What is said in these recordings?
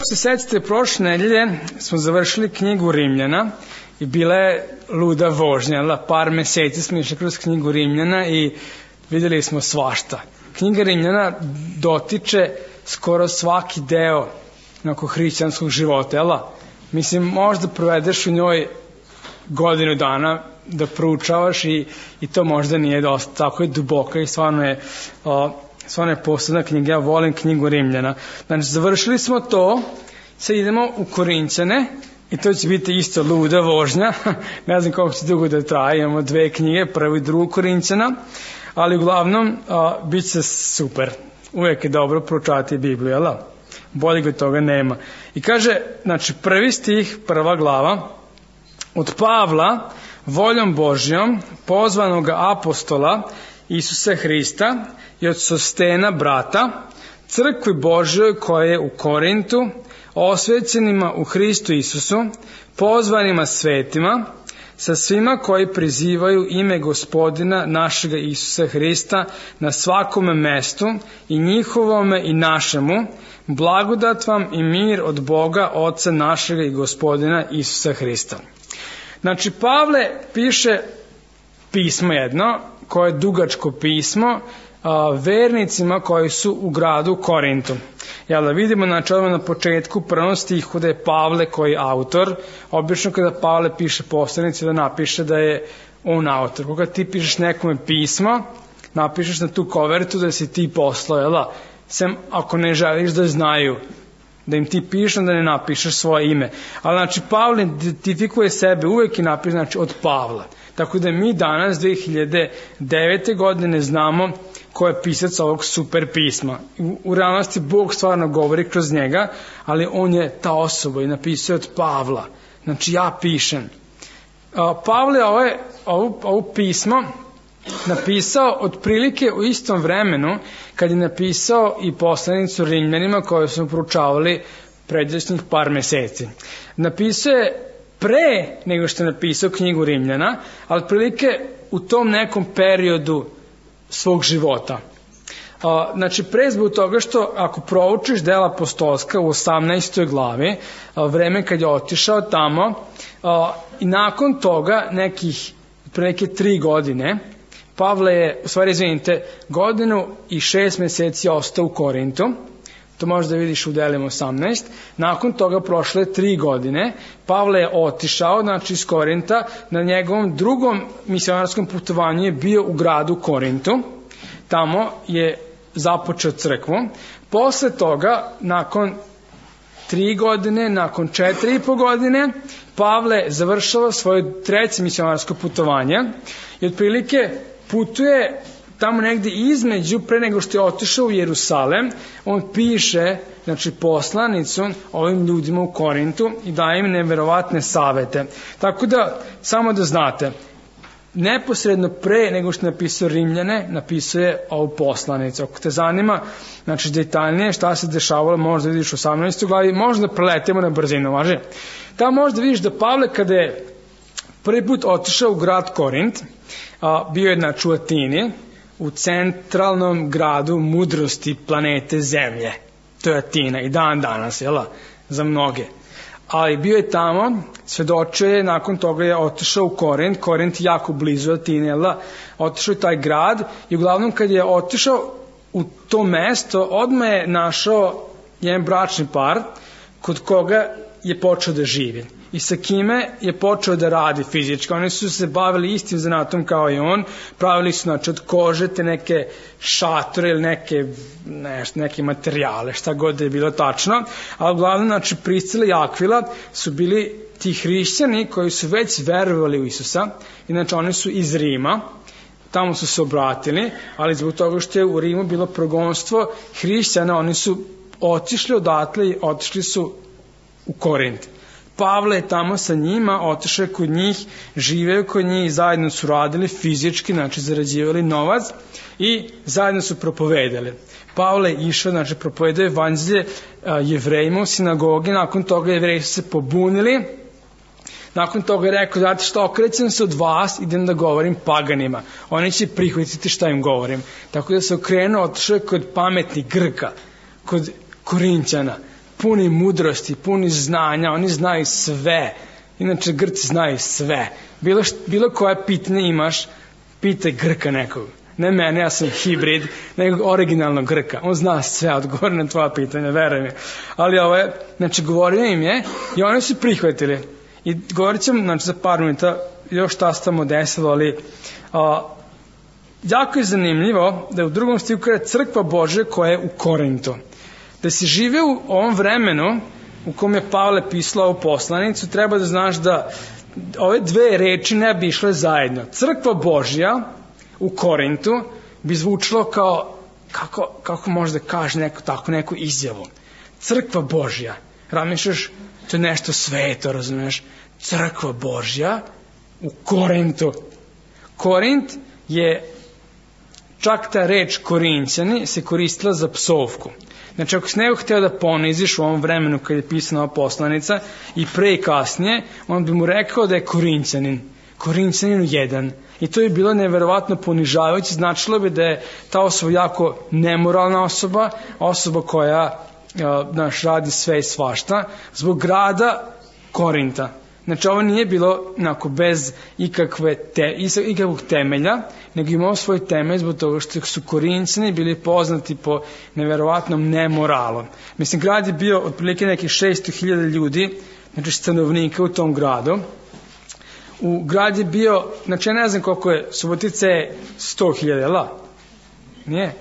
Se sećate, prošle nedelje smo završili knjigu Rimljana i bila je luda vožnja. Par meseci smo išli kroz knjigu Rimljana i videli smo svašta. Knjiga Rimljana dotiče skoro svaki deo hrišćanskog života. Mislim, možda provedeš u njoj godinu dana da proučavaš i to možda nije dosta. Tako je duboka i stvarno je posebna knjiga. Ja volim knjigu Rimljana. Znači, završili smo to, sad idemo u Korinćane i to će biti isto luda vožnja. Ne znam koliko će dugo da traje, imamo 2 knjige, prvu i drugu Korinćana, ali uglavnom bit će super. Uvijek je dobro proučavati Bibliju, jel? Bolje od toga nema. I kaže, znači, prvi stih, prva glava, od Pavla, voljom Božjom, pozvanog apostola Isusa Hrista i od Sostena brata, crkvi Božjoj koja je u Korintu, osvećenima u Hristu Isusu, pozvanima svetima, sa svima koji prizivaju ime Gospodina našega Isusa Hrista na svakome mestu i njihovome i našemu, blagodat vam i mir od Boga, Oca našega i Gospodina Isusa Hrista. Znači, Pavle piše pismo jedno, koje je dugačko pismo, vernicima koji su u gradu Korintu. Jel da vidimo, znači, odmah na početku prvom stihu da je Pavle koji je autor. Obično kada Pavle piše poslanici da napiše da je on autor. Koga ti pišeš nekome pismo, napišeš na tu kovertu da si ti poslao, jel da? Sem ako ne želiš da znaju da im ti pišeš, da ne napišeš svoje ime. Ali, znači, Pavle identifikuje sebe uvek i napiše, znači, od Pavla. Tako da mi danas, 2009. godine, znamo ko je pisac ovog super pisma. U realnosti Bog stvarno govori kroz njega, ali on je ta osoba i napisao od Pavla. Znači, ja pišem. Pavle je ovo pismo napisao otprilike u istom vremenu kad je napisao i poslanicu Rimljanima koju smo proučavali pređašnjih par meseci. Napisao je pre nego što je napisao knjigu Rimljana, ali otprilike u tom nekom periodu svog života. Znači, pre zbog toga što ako proučiš dela apostolska u 18. glavi, vreme kad je otišao tamo, i nakon toga nekih prilike 3 godine, Pavle je, u stvari, izvinite, 1 godinu i 6 meseci ostao u Korintu. To možeš da vidiš u delima 18. Nakon toga prošle 3 godine, Pavle je otišao, znači, iz Korinta, na njegovom drugom misionarskom putovanju je bio u gradu Korintu. Tamo je započeo crkvu. Posle toga, nakon 3 godine, nakon 4,5 godine, Pavle završava svoje 3. misionarsko putovanje i otprilike putuje tamo negde između, pre nego što je otišao u Jerusalem, on piše, znači, poslanicu ovim ljudima u Korintu i daje im neverovatne savete. Tako da, samo da znate, neposredno pre nego što je napisao Rimljane, napisao je ovu poslanicu. Ako te zanima, znači, detaljnije šta se dešavalo, možda vidiš u 18. glavi, možda preletimo na brzinu, važi? Tamo možda vidiš da Pavle, kada je prvi put otišao u grad Korint, bio je, znači, u Atini, u centralnom gradu mudrosti planete Zemlje. To je Atina i dan danas, jel', za mnoge. Ali bio je tamo, svedočio je, nakon toga je otišao u Korint. Korint je jako blizu Atine, jel', otišao je taj grad i uglavnom kad je otišao u to mesto, odmah je našao jedan bračni par kod koga je počeo da živi i sa kime je počeo da radi fizički. Oni su se bavili istim zanatom kao i on, pravili su, znači, od kože te neke šatore ili neke materijale, šta god da je bilo tačno, a uglavnom, znači, Priscila i Akvila su bili ti hrišćani koji su već verovali u Isusa, inače oni su iz Rima, tamo su se obratili, ali zbog toga što je u Rimu bilo progonstvo hrišćana, oni su otišli odatle i otišli su u Korint. Pavle je tamo sa njima, otišao kod njih, živeo kod njih i zajedno su radili fizički, znači zarađivali novac i zajedno su propovedali. Pavle je išao, znači, propovedao evanđelje Jevrejima u sinagogi, nakon toga Jevreji su se pobunili, nakon toga je rekao, znate što, okrećem se od vas, idem da govorim paganima, oni će prihvatiti šta im govorim. Tako da se okrenuo, otišao kod pametnih Grka, kod Korinćana, puni mudrosti, puni znanja, oni znaju sve. Inače, Grci znaju sve. Bilo koje pitanje imaš, pitaj Grka nekog. Ne mene, ja sam hibrid, nego originalnog Grka. On zna sve, odgovori na tvoja pitanja, veruj mi. Ali ovo je, znači, govorio im je i oni su prihvatili. I govorit ćemo, znači, za par minuta još šta se tamo desilo, ali jako je zanimljivo da je u 2. stihu kada crkva Božja koja je u Korintu. Da si žive u ovom vremenu u kom je Pavle pisao ovu poslanicu, treba da znaš da ove dve reči ne bi išle zajedno. Crkva Božja u Korintu bi zvučilo kao, kako možda kaže neku izjavu. Crkva Božja. Razmišljaš, to je nešto sveto, razumeš? Crkva Božja u Korintu. Korint je, čak ta reč Korinćani se koristila za psovku. Znači, ako si nego hteo da poniziš u ovom vremenu kad je pisana ova poslanica i pre i kasnije, on bi mu rekao da je Korinćanin. Korinćanin jedan. I to je bilo neverovatno ponižavajuće. Značilo bi da je ta osoba jako nemoralna osoba, osoba koja radi sve i svašta, zbog grada Korinta. Znači, ovo nije bilo bez ikakvog temelja, nego imao svoj temelj zbog toga što su Korinćani bili poznati po neverovatnom nemoralu. Mislim, grad je bio otprilike nekih 600.000 ljudi, znači stanovnika u tom gradu. U grad je bio, znači ja ne znam koliko je, Subotica je 100.000, jel' nije?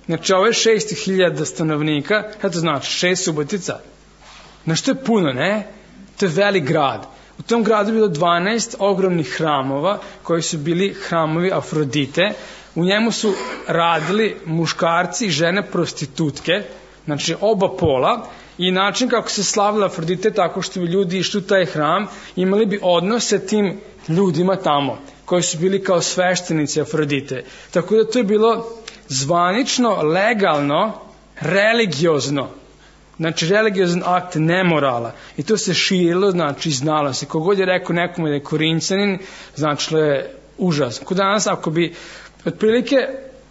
Znači, ovo je 600.000 stanovnika, šta to znači, 6 Subotica? Znači, to je puno, ne? To je velik grad. U tom gradu je bilo 12 ogromnih hramova, koji su bili hramovi Afrodite. U njemu su radili muškarci i žene prostitutke, znači oba pola, i način kako se slavila Afrodite tako što bi ljudi išli u taj hram, imali bi odnos sa tim ljudima tamo, koji su bili kao sveštenici Afrodite. Tako da to je bilo zvanično, legalno, religiozno. Znači, religiozan akt nemorala. I to se širilo, znači, znalo se. Kogod je rekao nekome da je Korinćanin, znači, je užas. Kod danas, ako bi, otprilike,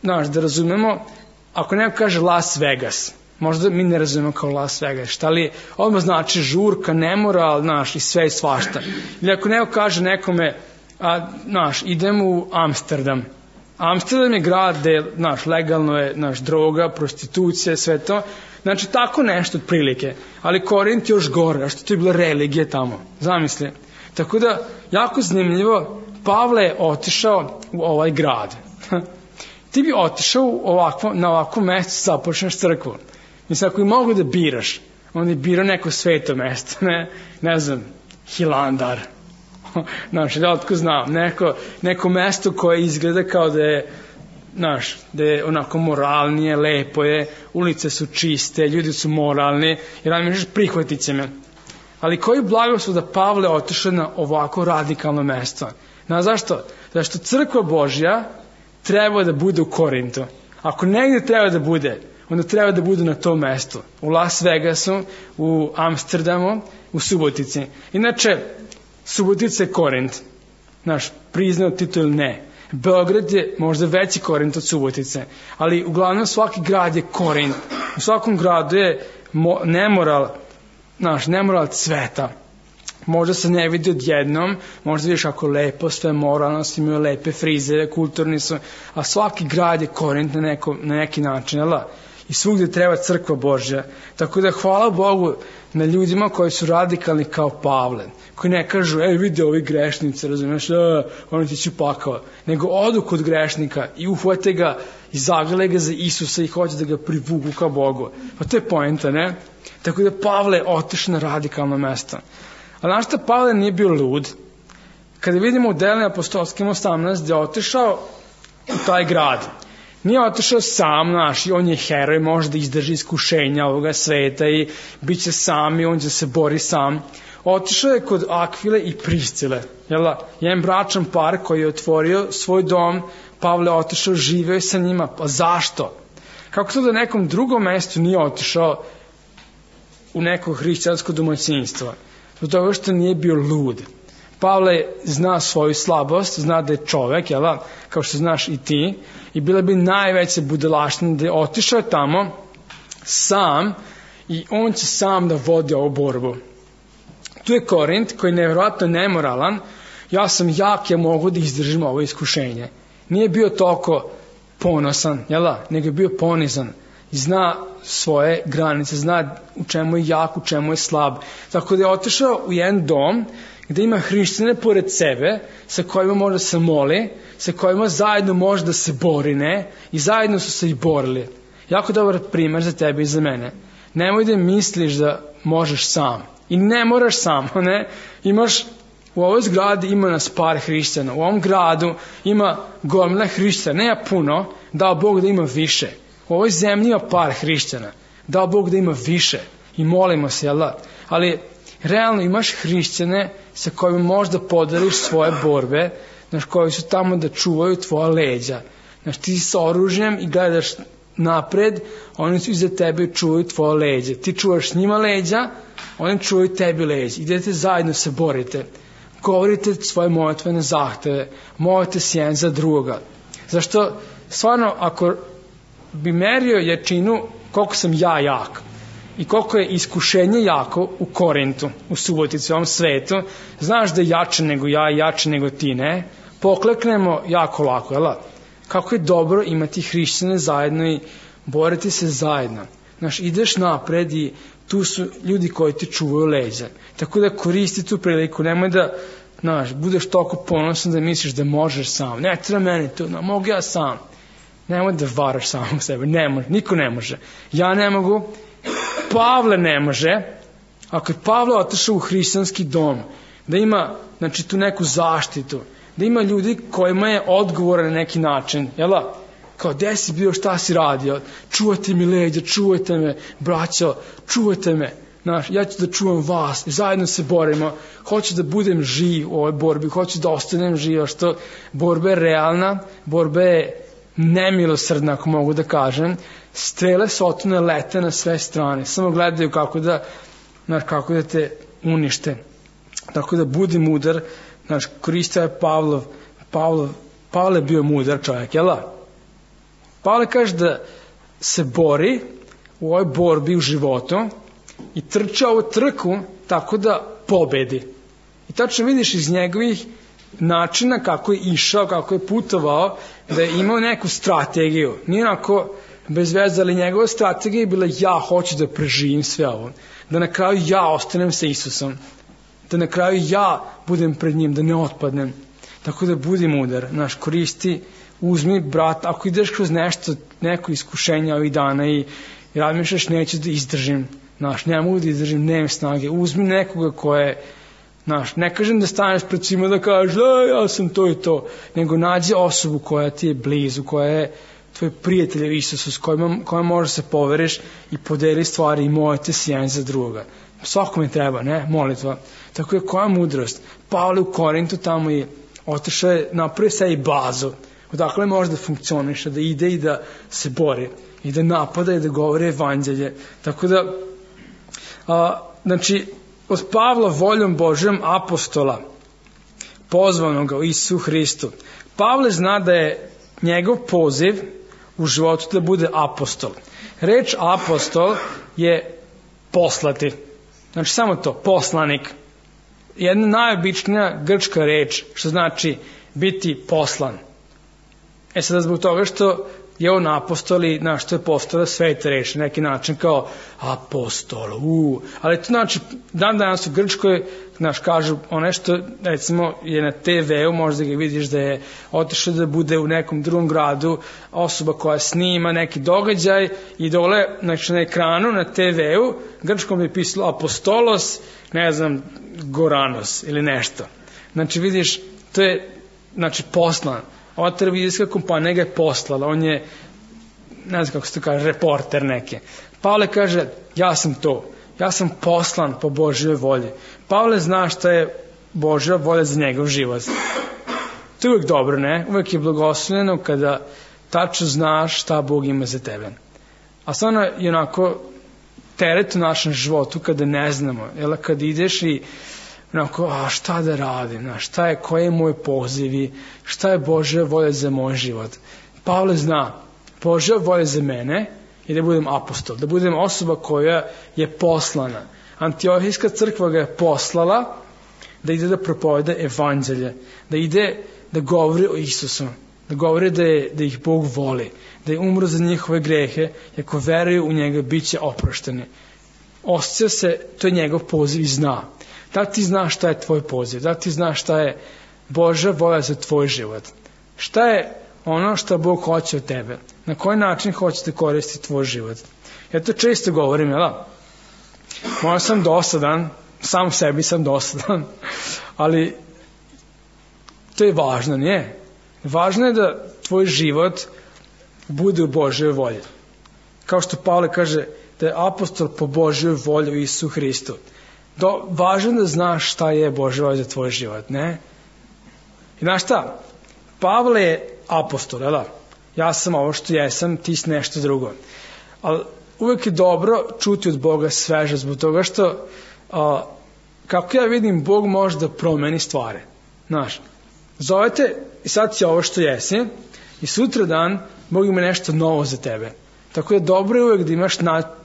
znači, da razumemo, ako neko kaže Las Vegas, možda mi ne razumemo kao Las Vegas, šta li odmah znači žurka, nemoral, znaš, i sve i svašta. Ili ako neko kaže nekome, znaš, idem u Amsterdam. Amsterdam je grad gde, znaš, legalno je, znaš, droga, prostitucija, sve to. Znači, tako nešto otprilike. Ali Korint još gore, a što to je bila religija tamo. Zamisli. Tako da, jako zanimljivo, Pavle je otišao u ovaj grad. Ti bi otišao na ovakvo mesto, započneš crkvu. Mislim, ako i mogu da biraš, on je birao neko sveto mesto, ne znam, Hilandar. Znači, da otko znam, neko mesto koje izgleda kao da je, znaš, da je onako moralnije, lepo je, ulice su čiste, ljudi su moralni, jer nam misliš prihvatit će me. Ali koji blagoslov da Pavle otišao na ovako radikalno mesto? Znaš zašto? Zašto crkva Božja treba da bude u Korintu. Ako negdje treba da bude, onda treba da bude na tom mestu. U Las Vegasu, u Amsterdamu, u Subotici. Inače, Subotica je Korint. Znaš, priznao titul ne. Beograd je možda veći Korint od Subotice, ali uglavnom svaki grad je Korint. U svakom gradu je nemoral, nemoral cveta. Možda se ne vidi odjednom, možda vidiš ako lepo, sve moralno, svi imaju lepe frizere, kulturni su, a svaki grad je Korint na neki način, jel? I svugdje treba crkva Božja. Tako da hvala Bogu na ljudima koji su radikalni kao Pavle, koji ne kažu, vidi ovi grešnici, razumiješ, oni ti ću pakao, nego odu kod grešnika i uhvate ga i zagrle ga za Isusa i hoće da ga privuku ka Bogu. Pa to je poenta, ne? Tako da Pavle je otišao na radikalno mesto. A znaš šta, Pavle nije bio lud. Kada vidimo u Delima apostolskim 18 gdje je otišao u taj grad, nije otišao sam, i on je heroj, može da izdrži iskušenja ovoga sveta i bit će sam i on će se bori sam. Otišao je kod Akvile i Priscile, jedan bračan par koji je otvorio svoj dom, Pavle otišao, živeo je sa njima, pa zašto? Kako to da nekom drugom mestu nije otišao u neko hrišćansko domaćinstvo? Zbog toga što nije bio lud. Pavle zna svoju slabost, zna da je čovek, kao što znaš i ti, i bila bi najveća budalaština da je otišao tamo sam i on će sam da vodi ovu borbu. Tu je Korint koji je nevjerojatno nemoralan, ja sam jak, ja mogu da izdržim ovo iskušenje. Nije bio toliko ponosan, nego je bio ponizan i zna svoje granice, zna u čemu je jak, u čemu je slab. Tako da je otišao u jedan dom gde ima hrišćane pored sebe, sa kojima može da se moli, sa kojima zajedno može da se bori, i zajedno su se i borili. Jako dobar primer za tebe i za mene. Nemoj da misliš da možeš sam. I ne moraš sam, Imaš, u ovoj zgradi ima nas par hrišćana, u ovom gradu ima gomila hrišćana, ne puno, dao Bog da ima više. U ovoj zemlji ima par hrišćana, dao Bog da ima više i molimo se, ali realno imaš hrišćane sa kojima možda podeliš svoje borbe, koji su tamo da čuvaju tvoja leđa. Ti si sa oružjem i gledaš napred, oni su iza tebe i čuvaju tvoje leđa. Ti čuvaš njima leđa, oni čuvaju tebi leđa. Idete zajedno se borite. Govorite svoje molitvene zahteve, molite se jedan za druga. Zašto, stvarno, ako bi merio jačinu koliko sam ja jak i koliko je iskušenje jako u Korintu, u Subotici, u ovom svetu, znaš da je jače nego ja, jače nego ti, pokleknemo jako lako, Kako je dobro imati hrišćane zajedno i boriti se zajedno. Ideš napred i tu su ljudi koji ti čuvaju leđa. Tako da koristi tu priliku, nemoj da budeš toliko ponosan da misliš da možeš sam. Ne treba meni to, mogu ja sam. Nemoj da varaš samog sebe, ne može, niko ne može. Ja ne mogu, Pavle ne može. Ako je Pavle otišao u hrišćanski dom, da ima tu neku zaštitu, da ima ljudi kojima je odgovor na neki način, kao gde si bio, šta si radio, čuvajte mi leđa, čuvajte me, braćo, čuvajte me, ja ću da čuvam vas, zajedno se borimo, hoću da budem živ u ovoj borbi, hoću da ostanem živ, što borba je realna, borba je nemilosrdna, ako mogu da kažem, strele sotone lete na sve strane, samo gledaju kako da te unište. Tako da budi mudar, koristio je Pavle je bio mudar čovjek, Pavle kaže da se bori u ovoj borbi u životu i trča ovu trku tako da pobedi. I tačno vidiš iz njegovih načina kako je išao, kako je putovao, da je imao neku strategiju. Nije onako bez veze, ali njegova strategija je bila ja hoću da preživim sve ovo. Da na kraju ja ostanem sa Isusom. Da na kraju ja budem pred njim, da ne otpadnem. Tako da budi mudar, koristi, uzmi brat, ako ideš kroz neko iskušenje ovih dana i razmišljaš neću da izdržim, ne mogu da izdržim, nemam snage, uzmi nekoga koje, ne kažem da staneš pred svima da kažeš ja sam to i to, nego nađi osobu koja ti je blizu, koja je tvoj prijatelj Isusu, s kojima možeš se poveriš i podeli stvari i molite se jedan za druga. Svakome treba, molitva. Tako je koja mudrost. Pavle u Korintu tamo je otišao je napravio sve i bazu. Odakle može da funkcioniše, da ide i da se bori i da napada i da govori evanđelje. Tako da, od Pavla voljom Božjom apostola, pozvanoga u Isusu Hristu. Pavle zna da je njegov poziv u životu da bude apostol. Reč apostol je poslati. Samo to, poslanik. Jedna najobičnija grčka reč, što znači biti poslan. Sada zbog toga što je on apostol i što je postala sveta reč, na neki način kao apostol, ali to znači, danas u Grčkoj, kažu ono što, recimo, je na TV-u, možda ga vidiš da je otišao da bude u nekom drugom gradu, osoba koja snima neki događaj i dole, na ekranu, na TV-u, grčkom je pisalo apostolos, Goranos ili nešto. Vidiš, to je, poslan. Ova televizijska kompanija ga je poslala, on je, ne znam kako se to kaže, reporter neke. Pavle kaže, ja sam to, ja sam poslan po Božjoj volji. Pavle zna šta je Božja volja za njegov život. To je uvijek dobro, uvijek je blagoslovljeno kada tačno znaš šta Bog ima za tebe. A stvarno je onako teret u našem životu kada ne znamo, kad ideš i šta da radim, koji je moj poziv i šta je Božja volja za moj život. Pavle zna, Božja volja za mene i da budem apostol, da budem osoba koja je poslana. Antiohijska crkva ga je poslala da ide da propoveda evanđelje, da ide da govori o Isusu, da govori da ih Bog voli, da je umro za njihove grehe i ako veruju u njega bit će oprošteni. Osjeća se, to je njegov poziv i zna. Da li ti znaš šta je tvoj poziv? Da li ti znaš šta je Božja volja za tvoj život? Šta je ono što Bog hoće od tebe? Na koji način hoćete koristiti tvoj život? Ja to često govorim, jel? Možda sam dosadan, sam sebi sam dosadan, ali to je važno, nije? Važno je da tvoj život bude u Božjoj volji. Kao što Pavle kaže da je apostol po Božjoj volji u Isusu Hristu. Važno je da znaš šta je Božja volja za tvoj život, ne? I znaš šta? Pavle je apostol, jel? Ja sam ovo što jesam, ti si nešto drugo. Ali uvek je dobro čuti od Boga sveže, zbog toga što kako ja vidim, Bog može da promeni stvari. Znaš, zovete i sad si ovo što jesi i sutra dan Bog ima nešto novo za tebe. Tako je dobro uvek da imaš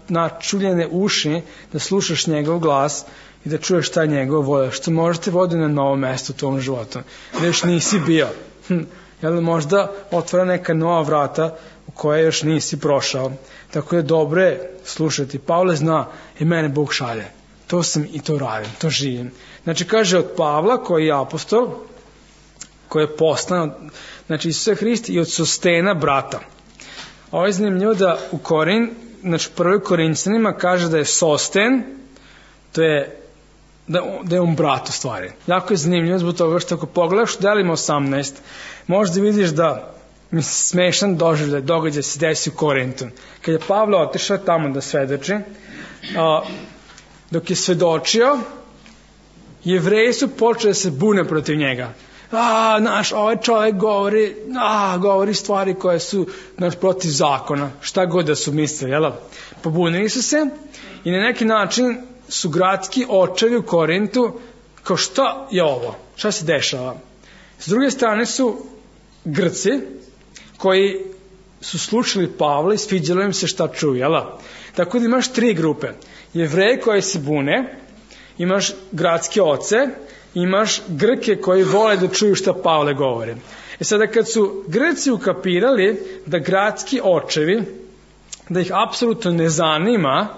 načuljene uši, da slušaš njegov glas i da čuješ šta je njegov volja, što možete vodi na novo mesto u tvom životu, da još nisi bio. Jel možda otvara neka nova vrata u koje još nisi prošao. Tako je dobro je slušati. Pavle zna i mene Bog šalje. To sam i to radim, to živim. Znači kaže od Pavla koji je apostol, koji je poslan, znači Isusa Hrista i od Sostena brata. Ovo je zanimljivo da u znači prvoj Korinćanima kaže da je Sosten, to je da je on brat u stvari. Jako je zanimljivo zbog toga što ako pogledaš u Delima 18, možda vidiš da smešan događaj se desi u Korintu. Kad je Pavle otišao tamo da svedoči, dok je svedočio, Jevreji su počeli da se bune protiv njega. Ovaj čovjek govori stvari koje su protiv zakona, šta god da su mislili, jel? Pobunili su se i na neki način su gradski očevi u Korintu kao šta je ovo, šta se dešava. S druge strane su Grci koji su slušali Pavla i sviđalo im se šta čuju, jel? Tako da imaš tri grupe. Jevreji koji se bune, imaš gradske oce, imaš Grke koji vole da čuju šta Pavle govori. Sada kad su Grci ukapirali da gradski očevi, da ih apsolutno ne zanima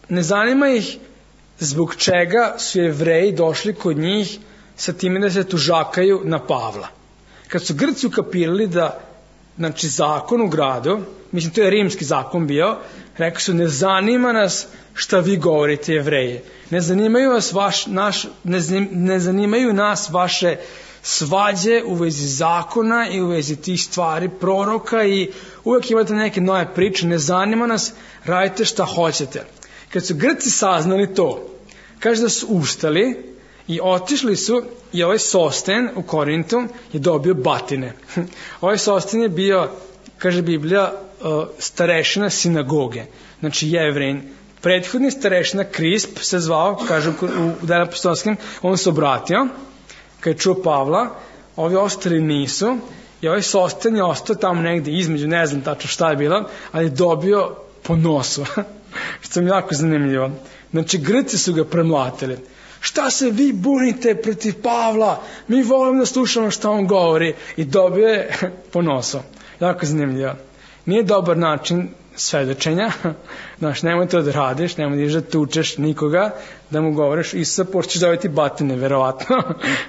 ne zanima ih zbog čega su Jevreji došli kod njih sa time da se tužakaju na Pavla. Kad su Grci ukapirali da, znači, zakon u gradu, mislim to je rimski zakon bio, rekli su ne zanima nas šta vi govorite Jevreji, ne zanimaju nas vaše svađe u vezi zakona i u vezi tih stvari proroka i uvijek imate neke nove priče, ne zanima nas, radite šta hoćete. Kad su Grci saznali to, kaže da su ustali i otišli su i ovaj Sosten u Korintu je dobio batine. Ovaj Sosten je bio, kaže Biblija, starešina sinagoge, znači Jevrein. Prethodni starešina Krisp se zvao, kaže u Delima apostolskim, on se obratio kad je čuo Pavla, ovi ostali nisu i ovaj Sosten je ostao tamo negde između, ne znam tačno šta je bilo, ali je dobio po nosu, što mi jako zanimljivo. Znači Grci su ga premlatili. Šta se vi bunite protiv Pavla? Mi volimo da slušamo šta on govori. I dobio je po nosu. Jako zanimljivo. Nije dobar način svedočenja. Znači, nemoj to da radiš, nemoj da tučeš nikoga, da mu govoriš Isusa, pošto ćeš dobiti batine, verovatno,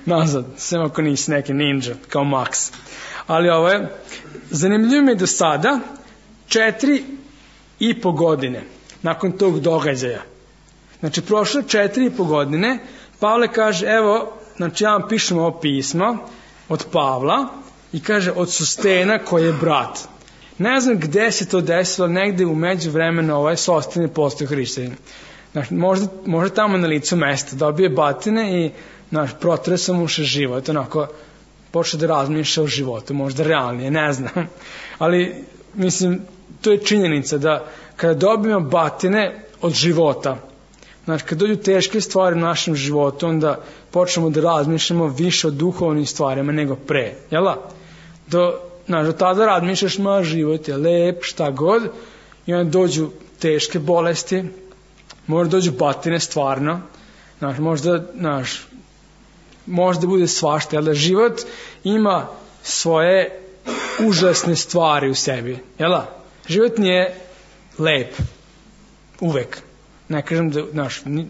nazad, sem ako nisi neki ninja, kao Max. Ali ovo je, zanimljivo mi je do sada, 4,5 godine nakon tog događaja. Znači, prošlo 4,5 godine, Pavle kaže, evo, znači ja vam pišem ovo pismo od Pavla i kaže, od Sostena koji je brat. Ne znam gde se to desilo, negde u međuvremenu ovaj Sosten je postao hrišćanin. Znači, možda tamo na licu mesta dobije batine i protire sam mu život, onako počeo da razmišlja o životu, možda realnije, ne znam. Ali, mislim, to je činjenica da kada dobijemo batine od života, znači, kad dođu teške stvari u našem životu, onda počnemo da razmišljamo više o duhovnim stvarima nego pre, jel? do tada razmišljaš, život je lep, šta god, i onda dođu teške bolesti, možda dođu batine stvarno, možda bude svašta, jer da život ima svoje užasne stvari u sebi, jel da? Život nije lep, uvek. Ne kažem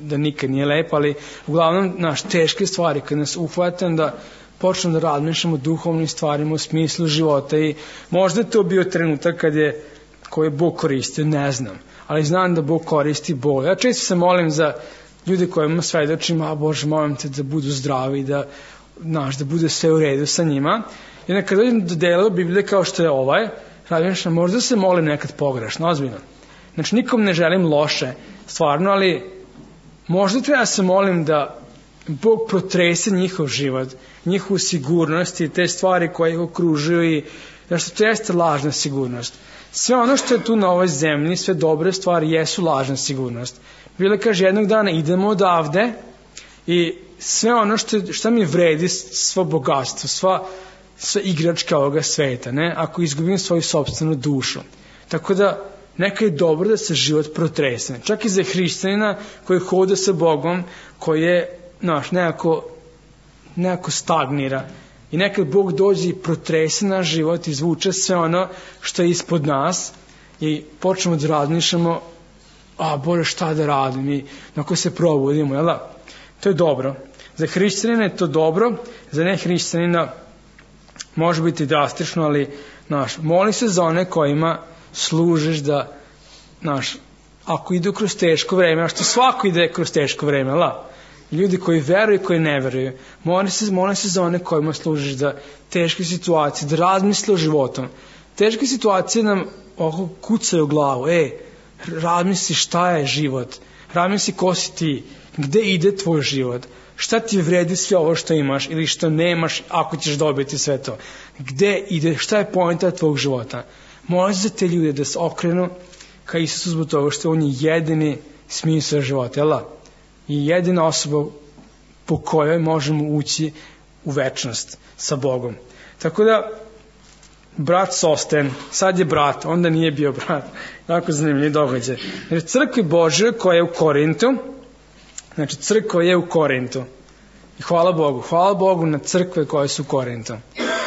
da nikad nije lep, ali uglavnom teške stvari kad nas uhvatam da počnemo da razmišljamo o duhovnim stvarima, u smislu života, i možda je to bio trenutak koji je Bog koristio, ne znam, ali znam da Bog koristi bol. Ja često se molim za ljude kojima svedočim, Bože, molim te da budu zdravi, da bude sve u redu sa njima. I onda kad dođem do dela Biblije kao što je razmišljam, možda se molim nekad pogrešno, ozbiljno. Znači, nikom ne želim loše, stvarno, ali možda treba se molim da Bog protrese njihov život, njihovu sigurnost i te stvari koje ih okružuju, i zašto to jeste lažna sigurnost. Sve ono što je tu na ovoj zemlji, sve dobre stvari jesu lažna sigurnost. Biblia kaže, jednog dana idemo odavde i sve ono što mi vredi, svo bogatstvo, sva igračka ovoga sveta, ako izgubim svoju sopstvenu dušu. Tako da neka je dobro da se život protrese. Čak i za hrišćanina koji hoda sa Bogom, koji je nekako stagnira. I nekad Bog dođe i protrese naš život, izvuče sve ono što je ispod nas i počnemo da razmišljamo, Bože, šta da radim, i onako se probudimo, jel da? To je dobro. Za hrišćanina je to dobro, za nehrišćanina može biti drastično, ali moli se za one kojima služiš da, ako idu kroz teško vreme, a što svako ide kroz teško vreme, jel da? Ljudi koji veruju i koji ne veruju, moli se za one kojima služiš da teške situacije, da razmisle o životom. Teške situacije nam kucaju u glavu, razmisli šta je život, razmisli ko si ti, gde ide tvoj život, šta ti vredi sve ovo što imaš ili što nemaš ako ćeš dobiti sve to, gde ide, šta je poenta tvog života. Moli se za te ljude da se okrenu ka Isusu zbog toga što on je jedini smisao života, jel da? I jedina osoba po kojoj možemo ući u večnost sa Bogom. Tako da, brat Sosten, sad je brat, onda nije bio brat. Jako zanimljiv događaj. Jer crkva Božja koja je u Korintu, znači crkva je u Korintu. I hvala Bogu na crkve koje su u Korintu.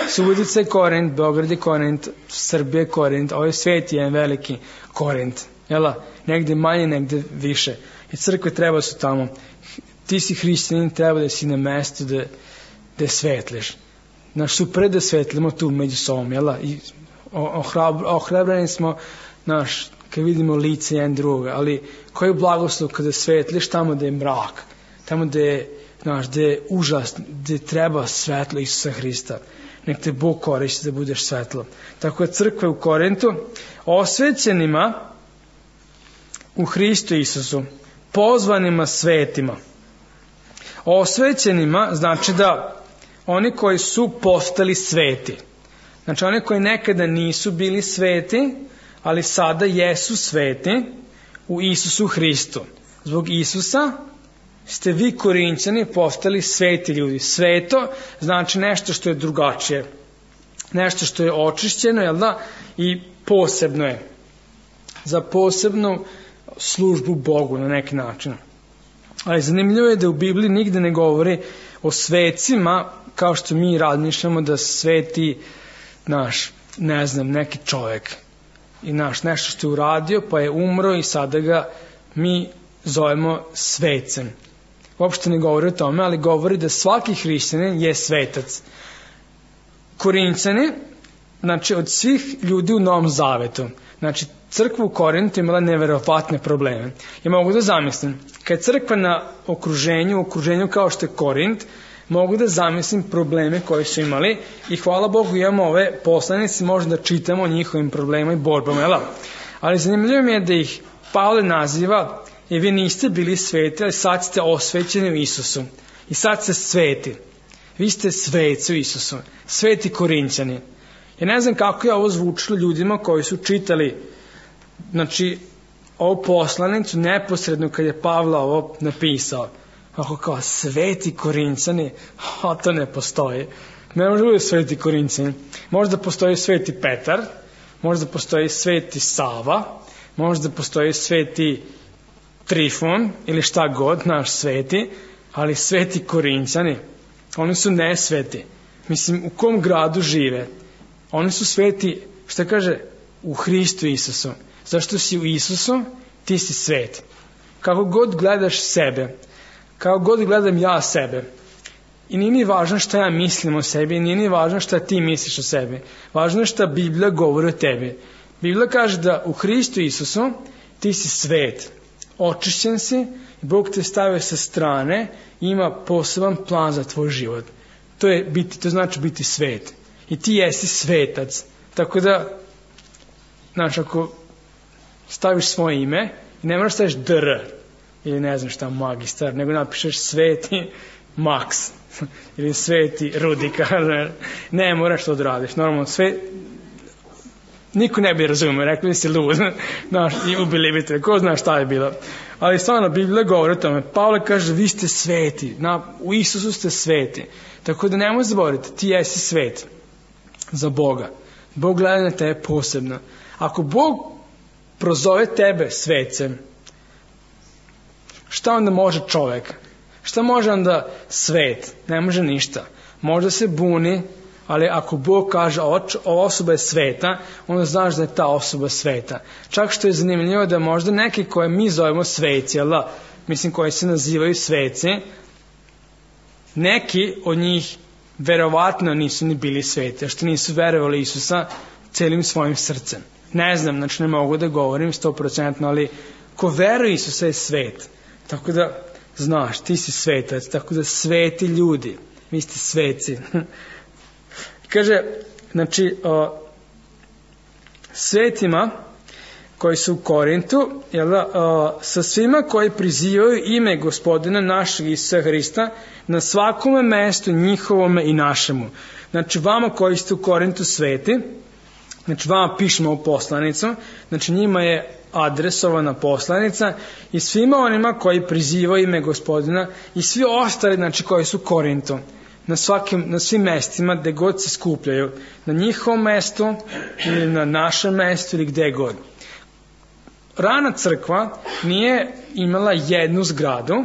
Subotica je Korint, Beograd je Korint, Srbija je Korint, ovaj svet je jedan veliki Korint. Jel? Negde manje, negde više. I crkve treba su tamo. Ti si hrišćanin, treba da si na mestu da svetliš. Super da svetlimo tu među sobom, jel? I ohrabreni smo, kad vidimo lice jedan druga, ali koji je blagoslov kada svetliš tamo da je mrak, tamo da je užas, da treba svetlo Isusa Hrista. Nek te Bog koristi da budeš svetlo. Tako je crkva u Korintu osvećenima u Hristu Isusu, pozvanima svetima. Osvećenima znači da oni koji su postali sveti. Znači oni koji nekada nisu bili sveti, ali sada jesu sveti u Isusu Hristu. Zbog Isusa ste vi Korinćani postali sveti ljudi. Sveto znači nešto što je drugačije. Nešto što je očišćeno, jel da? I posebno je. Za posebnu službu Bogu na neki način. Ali zanimljivo je da u Bibliji nigde ne govori o svecima kao što mi razmišljamo da sveti neki čovjek. I nešto što je uradio pa je umro i sada ga mi zovemo svecem. Uopšte ne govori o tome, ali govori da svaki hrišćanin je svetac. Korinćani, znači od svih ljudi u Novom Zavetu, znači crkva u Korintu imala neverovatne probleme. Ja mogu da zamislim, kad je crkva na okruženju kao što je Korint, mogu da zamislim probleme koje su imali i hvala Bogu imamo ove poslanice, možda da čitamo o njihovim problemima i borbama. Ali zanimljivo mi je da ih Pavle naziva i vi niste bili sveti, ali sad ste osvećeni u Isusu. I sad ste sveti. Vi ste sveci u Isusu. Sveti Korinćani. Ja ne znam kako je ovo zvučilo ljudima koji su čitali ovu poslanicu neposredno kad je Pavle ovo napisao. Ako kao sveti Korinćani, to ne postoji. Ne može biti sveti Korinćani. Možda postoji sveti Petar, možda postoji sveti Sava, možda postoji sveti Trifon ili šta god, naš sveti, ali sveti Korinćani, oni su nesveti. Mislim, u kom gradu žive? Oni su sveti, šta kaže, u Hristu Isusu. Zašto si u Isusu, ti si svet. Kako god gledaš sebe, kako god gledam ja sebe, i nije ni važno šta ja mislim o sebi, nije ni važno šta ti misliš o sebi. Važno je šta Biblija govori o tebi. Biblija kaže da u Hristu Isusu ti si svet. Očišćen si i Bog te stavio sa strane i ima poseban plan za tvoj život. To znači biti svet. I ti jesi svetac. Tako da, znači, ako staviš svoje ime, ne moraš staviš dr, ili ne znam šta, magistar, nego napišeš sveti Maks, ili sveti Rudika, ne moraš to odradiš. Normalno, niko ne bi razumio, rekli bi si lud, i ubili bi te, ko zna šta je bilo. Ali stvarno, Biblija govori o tome. Pavle kaže, vi ste sveti, u Isusu ste sveti. Tako da nemoj zaboraviti, ti jesi svet za Boga. Bog gleda na tebe posebno. Ako Bog prozove tebe svecem, šta onda može čovek? Šta može onda svet? Ne može ništa. Možda se buni, ali ako Bog kaže ova osoba je sveta, onda znaš da je ta osoba sveta. Čak što je zanimljivo da možda neki koje mi zovemo sveci, mislim koji se nazivaju sveci, neki od njih verovatno nisu ni bili sveti, što nisu verovali Isusa celim svojim srcem. Ne znam, znači ne mogu da govorim 100%, ali ko veruje Isusa je svet. Tako da, znaš, ti si svetac, tako da sveti ljudi, vi ste sveci. Kaže, znači, svetima koji su u Korintu, sa svima koji prizivaju ime Gospodina našeg Isusa Hrista na svakome mestu njihovome i našemu. Znači, vama koji ste u Korintu sveti, znači vama pišemo u poslanicu, znači njima je adresovana poslanica i svima onima koji prizivaju ime Gospodina i svi ostali, znači koji su u Korintu, na svim mestima gde god se skupljaju, na njihovom mestu ili na našem mestu ili gde god. Rana crkva nije imala jednu zgradu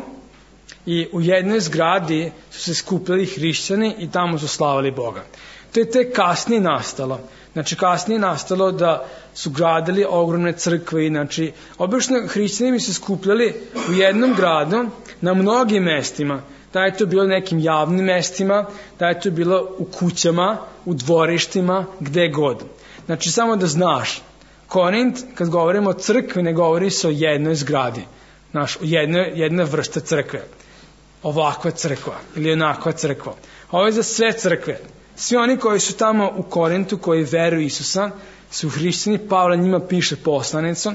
i u jednoj zgradi su se skupljali hrišćani i tamo su slavili Boga. To je tek kasnije nastalo. Znači kasnije nastalo da su gradili ogromne crkve, znači obično hrišćani bi se skupljali u jednom gradu na mnogim mestima. Da je to bilo nekim javnim mestima, da je to bilo u kućama, u dvorištima, gde god. Znači samo da znaš, Korint, kad govorimo o crkvi, ne govori se o jednoj zgradi, o jednoj vrste crkve. Ovakva crkva ili onakva crkva. Ovo je za sve crkve. Svi oni koji su tamo u Korintu, koji veruju Isusa, su hrišćani. Pavle njima piše poslanicu,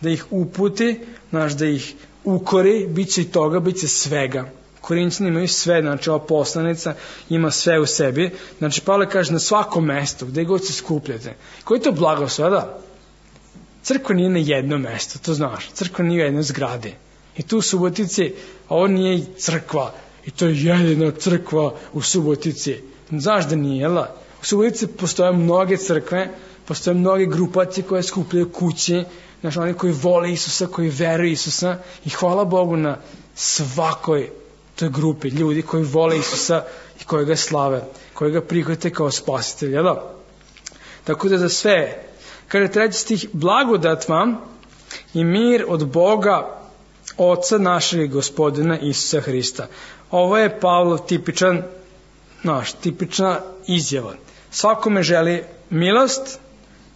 da ih uputi, da ih ukori, bit će i toga, bit će svega. Korinćani imaju sve, znači ova poslanica ima sve u sebi. Znači Pavle kaže na svakom mestu, gde god se skupljate. Koji je to blagoslov, da? Crkva nije na jednom mestu, to znaš. Crkva nije u jednoj zgradi. I tu u Subotici, ovo nije crkva, i to je jedina crkva u Subotici. Znaš da nije, jel? U Subotici postoje mnoge crkve, postoje mnoge grupacije koje skupljaju kući, znači oni koji vole Isusa, koji veruju Isusa, i hvala Bogu na svakoj toj grupi ljudi koji vole Isusa i koji ga slave, koji ga prihvate kao spasitelj, jel? Tako da za sve, kaže 3. stih, blagodat vam i mir od Boga, Oca našeg Gospodina Isusa Hrista. Ovo je Pavlov tipična izjava. Svakome želi milost,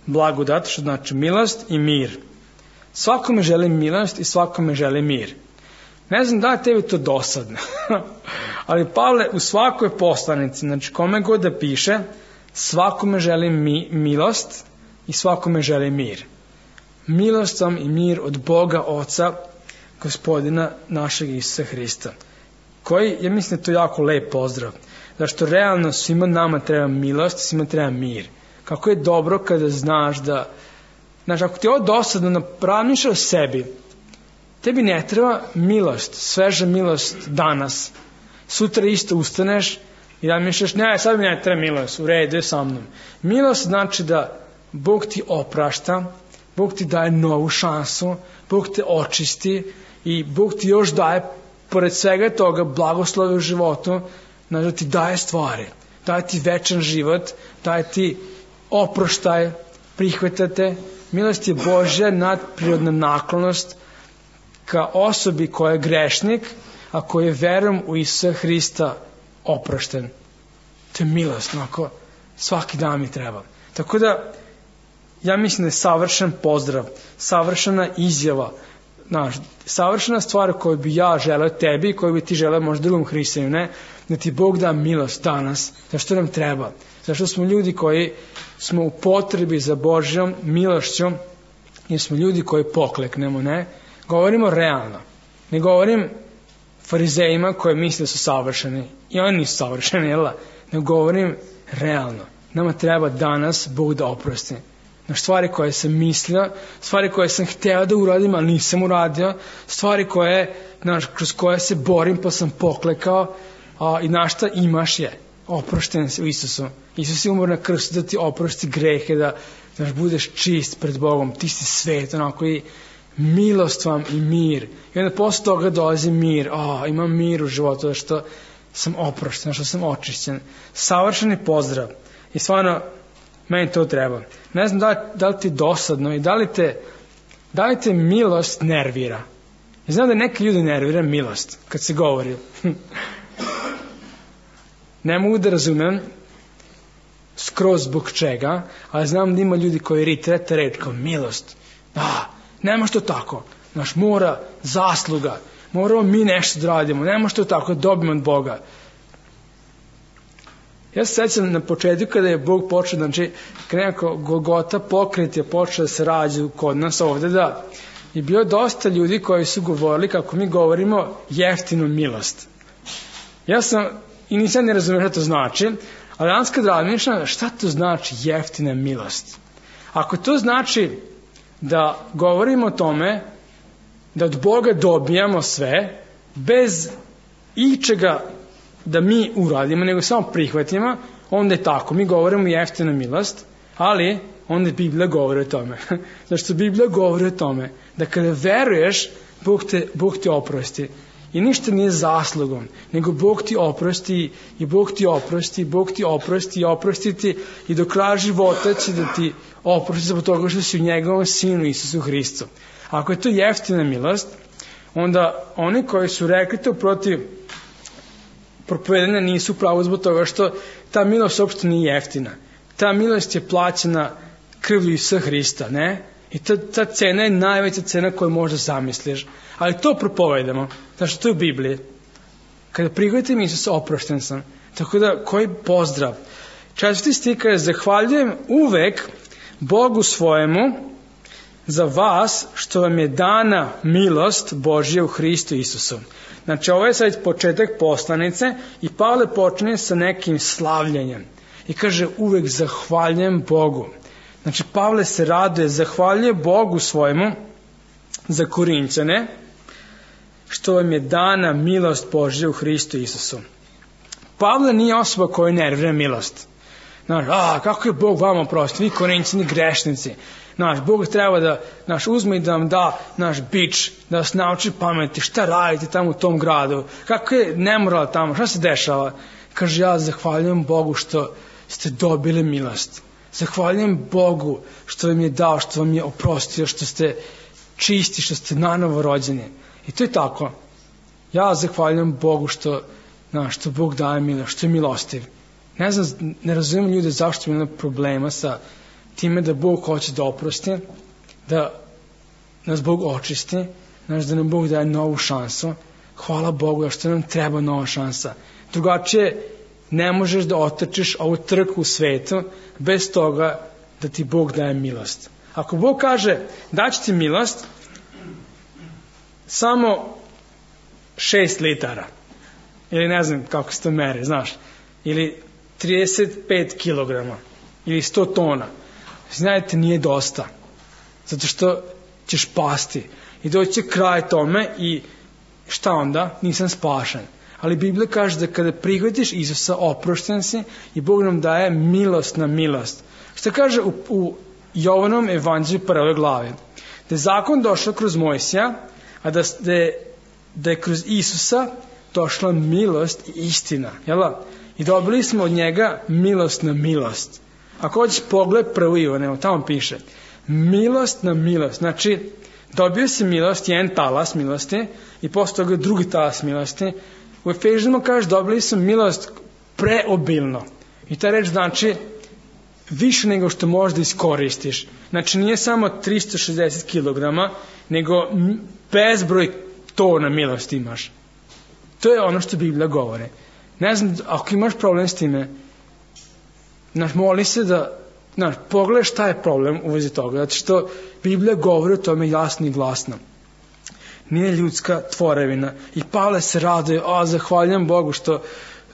blagodat, što znači milost i mir. Svakome želi milost i svakome želi mir. Ne znam da je tebi to dosadno, ali Pavle u svakoj poslanici, znači kome god da piše, svakome želi milost i svakome želi mir. Milost vam i mir od Boga Oca, Gospodina našeg Isusa Hrista. Koji, ja mislim da je to jako lep pozdrav. Zašto realno svima nama treba milost, svima treba mir. Kako je dobro kada znaš da, znači ako ti je ovo dosadno, razmišljaš o sebi, tebi ne treba milost, sveža milost danas. Sutra isto ustaneš, I da misliš, ne, sad mi ne treba milost, u redu je sa mnom. Milost znači da Bog ti oprašta, Bog ti daje novu šansu, Bog te očisti i Bog ti još daje, pored svega toga, blagoslove u životu, znači da ti daje stvari, daje ti večan život, daje ti oproštaj, prihvatate. Milost je Božja nadprirodna naklonost ka osobi koja je grešnik, a koji je verom u Isusa Hrista oprošten. To je milost, onako, svaki dan mi treba. Tako da, ja mislim da je savršen pozdrav, savršena izjava, savršena stvar koju bi ja želeo tebi i koju bi ti želeo možda drugom hrišćaninu, ne? Da ti Bog da milost danas, zašto nam treba? Zašto smo ljudi koji smo u potrebi za Božjom milošću, jer smo ljudi koji pokleknemo, ne? Govorimo realno. Ne govorim farizejima koji misle da su savršeni. I oni nisu savršeni, jel? Ne govorim realno. Nama treba danas Bog da oprosti. Stvari koje sam mislio, stvari koje sam hteo da uradim, ali nisam uradio, stvari kroz koje se borim pa sam poklekao, i šta imaš je oprošten se u Isusu. Isus je umro na krstu da ti oprosti grehe, da budeš čist pred Bogom, ti si svet, onako, i milost vam i mir. I onda posle toga dolazi mir, imam mir u životu, što sam oprošten, što sam očišćen. Savršeni pozdrav. I stvarno, meni to treba. Ne znam da li ti dosadno i da li te milost nervira. I znam da neke ljudi nervira milost kad se govori. Ne mogu da razumem skroz zbog čega, ali znam da ima ljudi koji ritrete reč kao milost. Nema što tako. Mora zasluga. Moramo mi nešto da radimo. Nema što tako da dobijemo od Boga. Ja se sećam na početku kada je Bog počeo, kada nekako Golgota pokret je počeo da se rađa kod nas ovde, da je bilo dosta ljudi koji su govorili kako mi govorimo jeftinu milost. Ja sam, i nisam ne razumio šta to znači, ali danas kad razmišljam šta to znači jeftina milost. Ako to znači da govorimo o tome da od Boga dobijamo sve bez ičega da mi uradimo, nego samo prihvatimo, onda je tako. Mi govorimo jeftina milost, ali onda Biblija govori o tome. Zašto Biblija govori o tome da kada veruješ, Bog te oprosti. I ništa nije zaslugom, nego Bog ti oprosti i Bog ti oprosti, Bog ti oprosti i oprosti ti i do kraja života će da ti oprosti zbog toga što si u njegovom sinu Isusu Hristu. Ako je to jeftina milost, onda oni koji su rekli to protiv propovedanja nisu pravo zbog toga što ta milost uopšte nije jeftina. Ta milost je plaćena krvlju Isusa Hrista, ne? I ta cena je najveća cena koju možda zamisliš. Ali to propovedamo. Znači, to je u Bibliji. Kada prihvatim Isusa, oprošten sam. Tako da, koji pozdrav. 4. stih kaže, zahvaljujem uvek Bogu svojemu za vas što vam je dana milost Božja u Hristu Isusu. Znači, ovo je sad početak poslanice i Pavle počinje sa nekim slavljenjem. I kaže, uvek zahvaljujem Bogu. Znači, Pavle se raduje, zahvaljuje Bogu svojemu za Korinćane, što vam je dana milost Božja u Hristu Isusu. Pavle nije osoba koja nervira milost. Znaš, kako je Bog vama oprosti, vi Korinćani grešnici. Znaš, Bog treba da uzme i da vam da naš bič, da vas nauči pameti, šta radite tamo u tom gradu, kako je nemoral tamo, šta se dešava. Kaže, ja zahvaljujem Bogu što ste dobili milost. Zahvaljujem Bogu što vam je dao, što vam je oprostio, što ste čisti, što ste nanovo rođeni. I to je tako. Ja zahvaljujem Bogu što Bog daje milost, što je milostiv. Ne razumijem ljude zašto imaju problema sa time da Bog hoće da oprosti, da nas Bog očisti, da nam Bog daje novu šansu. Hvala Bogu što nam treba nova šansa. Drugačije ne možeš da otrčiš ovu trku u svetu bez toga da ti Bog daje milost. Ako Bog kaže daći ti milost, samo 6 litara, ili ne znam kako se to mere, znaš, ili 35 kilograma, ili 100 tona, znajte, nije dosta, zato što ćeš pasti i doći će kraj tome i šta onda? Nisam spašen. ali Biblija kaže da kada prihvatiš Isusa, oprošten si i Bog nam daje milost na milost. Što kaže u Jovanom evanđelju 1. glave? Da je zakon došao kroz Mojsija, a da je kroz Isusa došla milost i istina. Jel? I dobili smo od njega milost na milost. Ako hoćeš pogled 1. Ivana, tamo piše milost na milost. Znači, dobio si milost, jedan talas milosti i posle toga drugi talas milosti. U Efežanima kaže dobili smo milost preobilno. I ta reč znači više nego što možda iskoristiš. Znači nije samo 360 kg, nego bezbroj tona milosti imaš. To je ono što Biblija govore. Ne znam, ako imaš problem s time, moli se da pogledaj šta je problem u vezi toga, zato što Biblija govori o tome jasno i glasno. Nije ljudska tvorevina. I Pavle se raduje, zahvaljujem Bogu što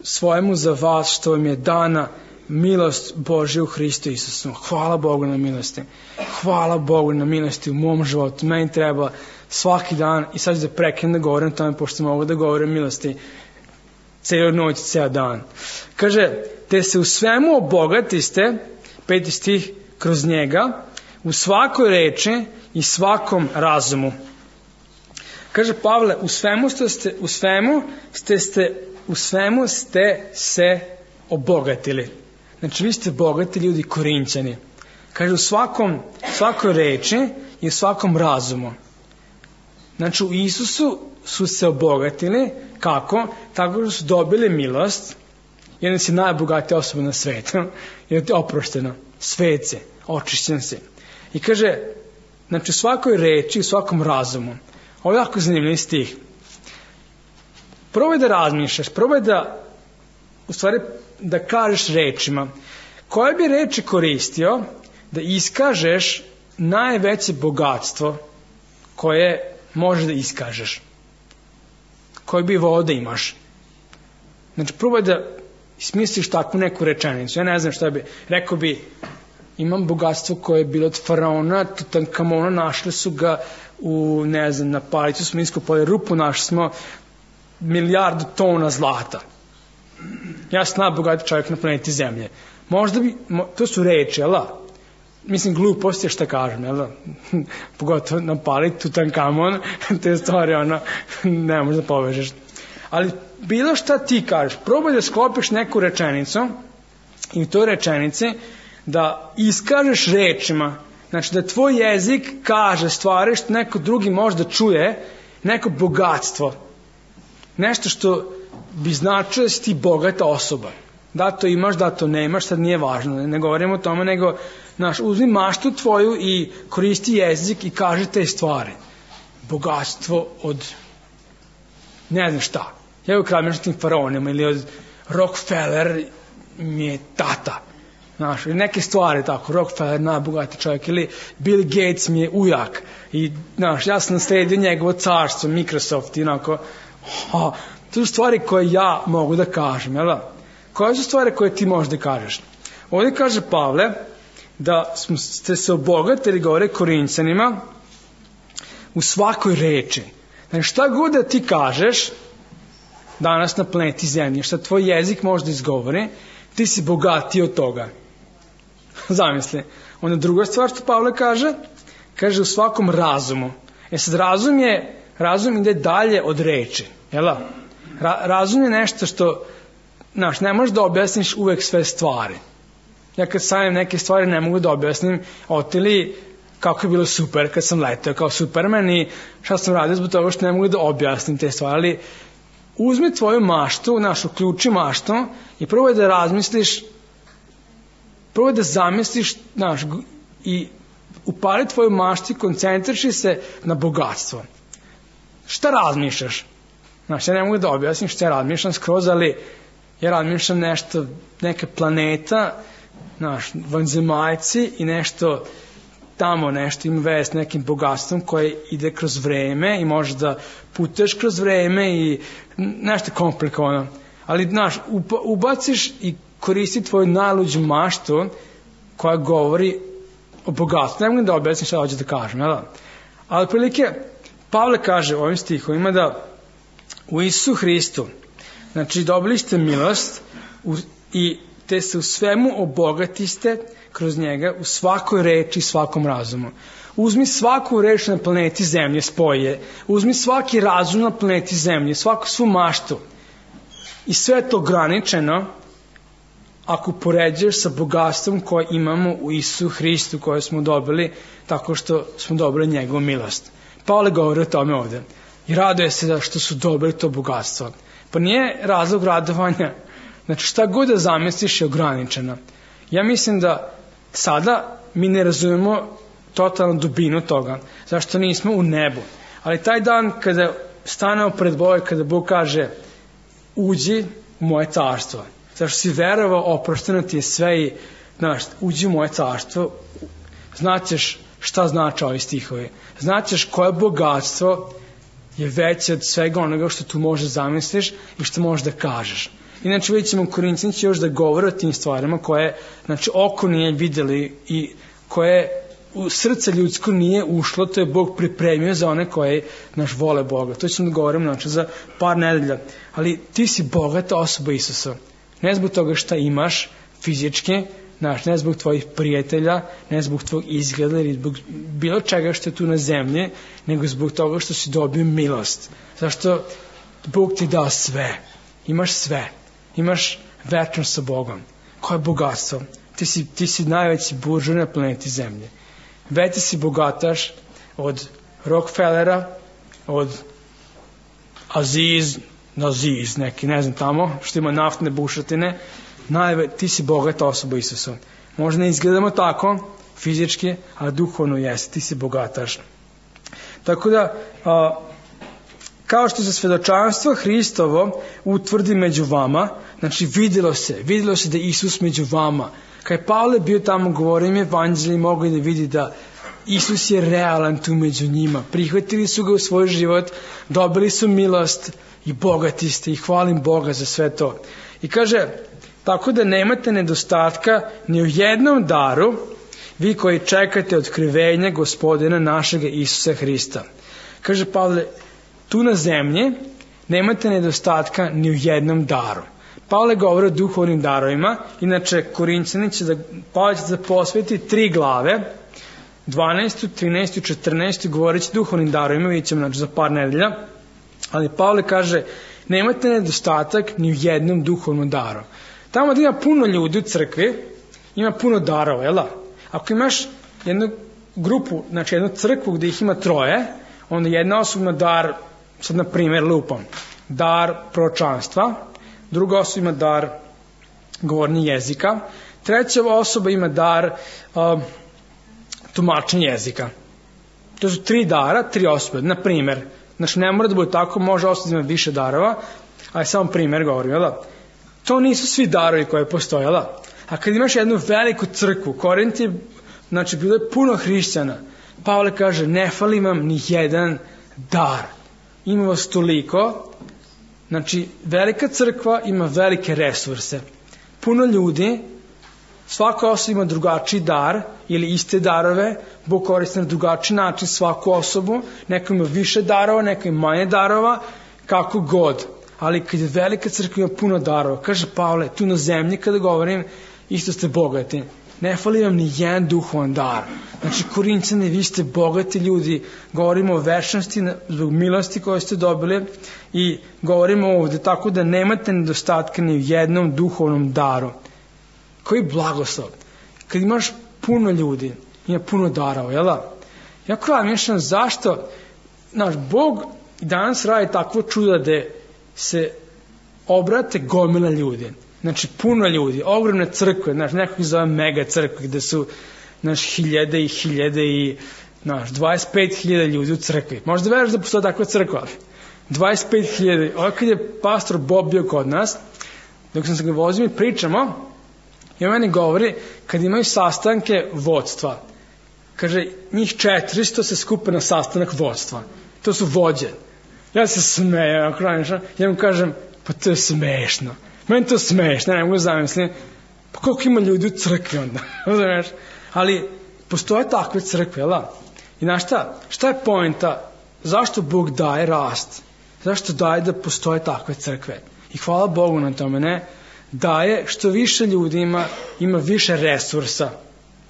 svojemu za vas, što vam je dana milost Božja u Hristu Isusu. Hvala Bogu na milosti. Hvala Bogu na milosti u mom životu. Meni treba svaki dan, i sad ću da prekinem da govorim o tome, pošto mogu da govorim o milosti cijelu noć, cijel dan. Kaže, te se u svemu obogatiste, 5. stih, kroz njega, u svakoj reči i svakom razumu. Kaže Pavle, u svemu ste se obogatili. Znači, vi ste bogati ljudi Korinćani. Kaže, u svakoj reči i u svakom razumu. Znači, u Isusu su se obogatili. Kako? Tako što su dobili milost. Jedan si najbogatija osoba na svetu. Jer ti je oprošteno. Svece. Očišćen si. I kaže, znači, u svakoj reči i u svakom razumu. Ovo je jako zanimljiv stih. Probaj da razmišljaš. Probaj da kažeš rečima. Koje bi reči koristio da iskažeš najveće bogatstvo koje možeš da iskažeš? Koje bi volao da imaš? Znači, probaj da smisliš takvu neku rečenicu. Ja ne znam šta bi. Rekao bi, imam bogatstvo koje je bilo od faraona, Tutankamona, našli su ga na palicu smo iskopali rupu, našli smo 1.000.000 tona zlata. Ja sam najbogatiji čovjek na planeti Zemlje. Možda bi, to su reči, jel da? Mislim, glupost je šta kažem, jel da? Pogotovo na palicu Tutankamon, te stvari, ne možeš da povežeš. Ali bilo šta ti kažeš, probaj da sklopiš neku rečenicu i u toj rečenici da iskažeš rečima, znači da tvoj jezik kaže stvari što neko drugi možda čuje, neko bogatstvo, nešto što bi značilo da si ti bogata osoba. Da to imaš, da to nemaš, sad nije važno, ne govorimo o tome, nego uzmi maštu tvoju i koristi jezik i kaže te stvari. Bogatstvo od ne znam šta. Ja u kraljevskim faraonima ili od Rockefeller mi je tata. Ili neke stvari tako, Rockefeller najbogati čovjek ili Bill Gates mi je ujak i ja sam nasledio njegovo carstvo, Microsoft i onako, to su stvari koje ja mogu da kažem, jel da? Koje su stvari koje ti možeš da kažeš? Ovdje kaže Pavle da ste se obogatili, govore Korinćanima, u svakoj reči. Znači šta god da ti kažeš danas na planeti Zemlje, šta tvoj jezik može da izgovori, ti si bogatiji od toga. Zamisli. Onda druga stvar što Pavle kaže u svakom razumu. Sad razum ide dalje od reči. Jel da? Razum je nešto što ne možeš da objasniš uvek sve stvari. Ja kad stavim neke stvari ne mogu da objasnim otili kako je bilo super kad sam letao kao Superman i šta sam radio zbog toga što ne mogu da objasnim te stvari. Ali uzmi tvoju maštu, uključi maštu i probaj da razmisliš, probaj da zamisliš i upali tvoju maštu i koncentriši se na bogatstvo. Šta razmišljaš? Ja ne mogu da objasnim šta ja razmišljam skroz, ali ja razmišljam nešto, neka planeta, vanzemaljci i nešto tamo nešto ima veze s nekim bogatstvom koje ide kroz vreme i možeš da putuješ kroz vreme i nešto komplikovano. Ali, ubaciš i koristi tvoju najluđu maštu koja govori o bogatstvu. Ne mogu da objasnim šta hoću da kažem, jel da? Ali prilike, Pavle kaže u ovim stihovima da u Isusu Hristu Znači, dobili ste milost i te se u svemu obogatiste kroz njega, u svakoj reči i svakom razumu. Uzmi svaku reč na planeti Zemlje, spoje. Uzmi svaki razum na planeti Zemlje, svu maštu. I sve je to ograničeno ako poređuješ sa bogatstvom koje imamo u Isusu Hristu, koje smo dobili tako što smo dobili njegovu milost. Pavle govori o tome ovde. I raduje se što su dobili to bogatstvo. Pa nije razlog radovanja. Znači, šta god da zamisliš je ograničeno. Ja mislim da sada mi ne razumemo totalnu dubinu toga, zašto nismo u nebu. Ali taj dan kada stanemo pred Bogom, kada Bog kaže uđi u moje carstvo, zašto si verovao, oprošteno ti je sve i uđi u moje carstvo, znaćeš šta znači ovi stihovi, znaćeš koje bogatstvo je veće od svega onoga što tu može zamisliš i što možeš da kažeš. Inače vidjet ćemo Korinćani će još da govore o tim stvarima koje oko nije vidjeli i koje u srce ljudsko nije ušlo, to je Bog pripremio za one koje vole Boga. To ćemo da govorimo za par nedelja. Ali ti si bogata osoba Isusa. Ne zbog toga šta imaš fizički, ne zbog tvojih prijatelja, ne zbog tvojeg izgleda ili zbog bilo čega što je tu na zemlji, nego zbog toga što si dobio milost. Zašto Bog ti dao sve. Imaš sve. Imaš večnost sa Bogom. Koje bogatstvo? Ti si najveći buržuj na planeti Zemlje. Veći si bogataš od Rockefellera, od Aziz, neki, ne znam tamo, što ima naftne bušotine. Ti si bogata osoba Isusa. Možda ne izgledamo tako, fizički, ali duhovno jesi. Ti si bogataš. Tako da, kao što se svedočanstvo Hristovo utvrdi među vama, znači vidjelo se da je Isus među vama. Kad je Pavle bio tamo, govorio im evanđelje, mogli da vidi da Isus je realan tu među njima. Prihvatili su ga u svoj život, dobili su milost i bogati ste i hvalim Boga za sve to. I kaže, tako da nemate nedostatka ni u jednom daru, vi koji čekate otkrivenje Gospodina našega Isusa Hrista. Kaže Pavle, tu na zemlji nemate nedostatka ni u jednom daru. Pavle govori o duhovnim darovima, inače Korinćani Pavle će da posveti 3 glave, 12, 13 i 14, govorit će duhovnim darovima, vidjet ćemo za par nedelja, ali Pavle kaže, nemate nedostatak ni u jednom duhovnom daru. Tamo da ima puno ljudi u crkvi, ima puno darova, jel da? Ako imaš jednu grupu, znači jednu crkvu gde ih ima 3, onda jedna osoba ima dar, sad na primjer lupam, dar proročanstva, druga osoba ima dar govornja jezika, treća osoba ima dar tumačenja jezika. To su 3 dara, 3 osobe. Na primjer, znači ne mora da bude tako, može osoba da ima više darova, ali samo primjer govorim, jel da? To nisu svi darovi koje postoje, jel da? A kad imaš jednu veliku crkvu, Korint je, znači bilo je puno hrišćana, Pavle kaže, ne fali vam ni jedan dar. Ima vas toliko, znači velika crkva ima velike resurse. Puno ljudi, svaka osoba ima drugačiji dar ili iste darove, Bog koristi na drugačiji način svaku osobu, neko ima više darova, neko ima manje darova, kako god. Ali kad je velika crkva ima puno darova, kaže Pavle, tu na zemlji kada govorim, isto ste bogati. Ne fali vam ni jedan duhovan dar. Znači, Korinćani, vi ste bogati ljudi, govorimo o večnosti, zbog milosti koje ste dobili i govorimo ovde tako da nemate nedostatka ni u jednom duhovnom daru. Koji blagoslov? Kad imaš puno ljudi, ima puno darova, jel da? Jako vam mišljam zašto, znaš, Bog danas radi takvo čudo da se obrate gomila ljudi. Znači, puno ljudi, ogromne crkve, znaš, neko ih zove mega crkve, gde su, znaš, hiljade i hiljade i, znaš, 25.000 ljudi u crkvi. Možda veriš da postoje takva crkva. 25.000. Ovo kad je pastor Bob bio kod nas, dok sam se ga vozio i pričamo, i on meni govori, kad imaju sastanke vodstva, kaže, njih 400 se skupe na sastanak vodstva. To su vođe. Ja se smejem, ja mu kažem, pa to je smešno. Meni to smešno, ne mogu zamislim. Pa koliko ima ljudi u crkvi onda? Ali postoje takve crkve, jel da? I znaš šta? Šta je poenta? Zašto Bog daje rast? Zašto daje da postoje takve crkve? I hvala Bogu na tome, ne? Daje što više ljudi ima više resursa,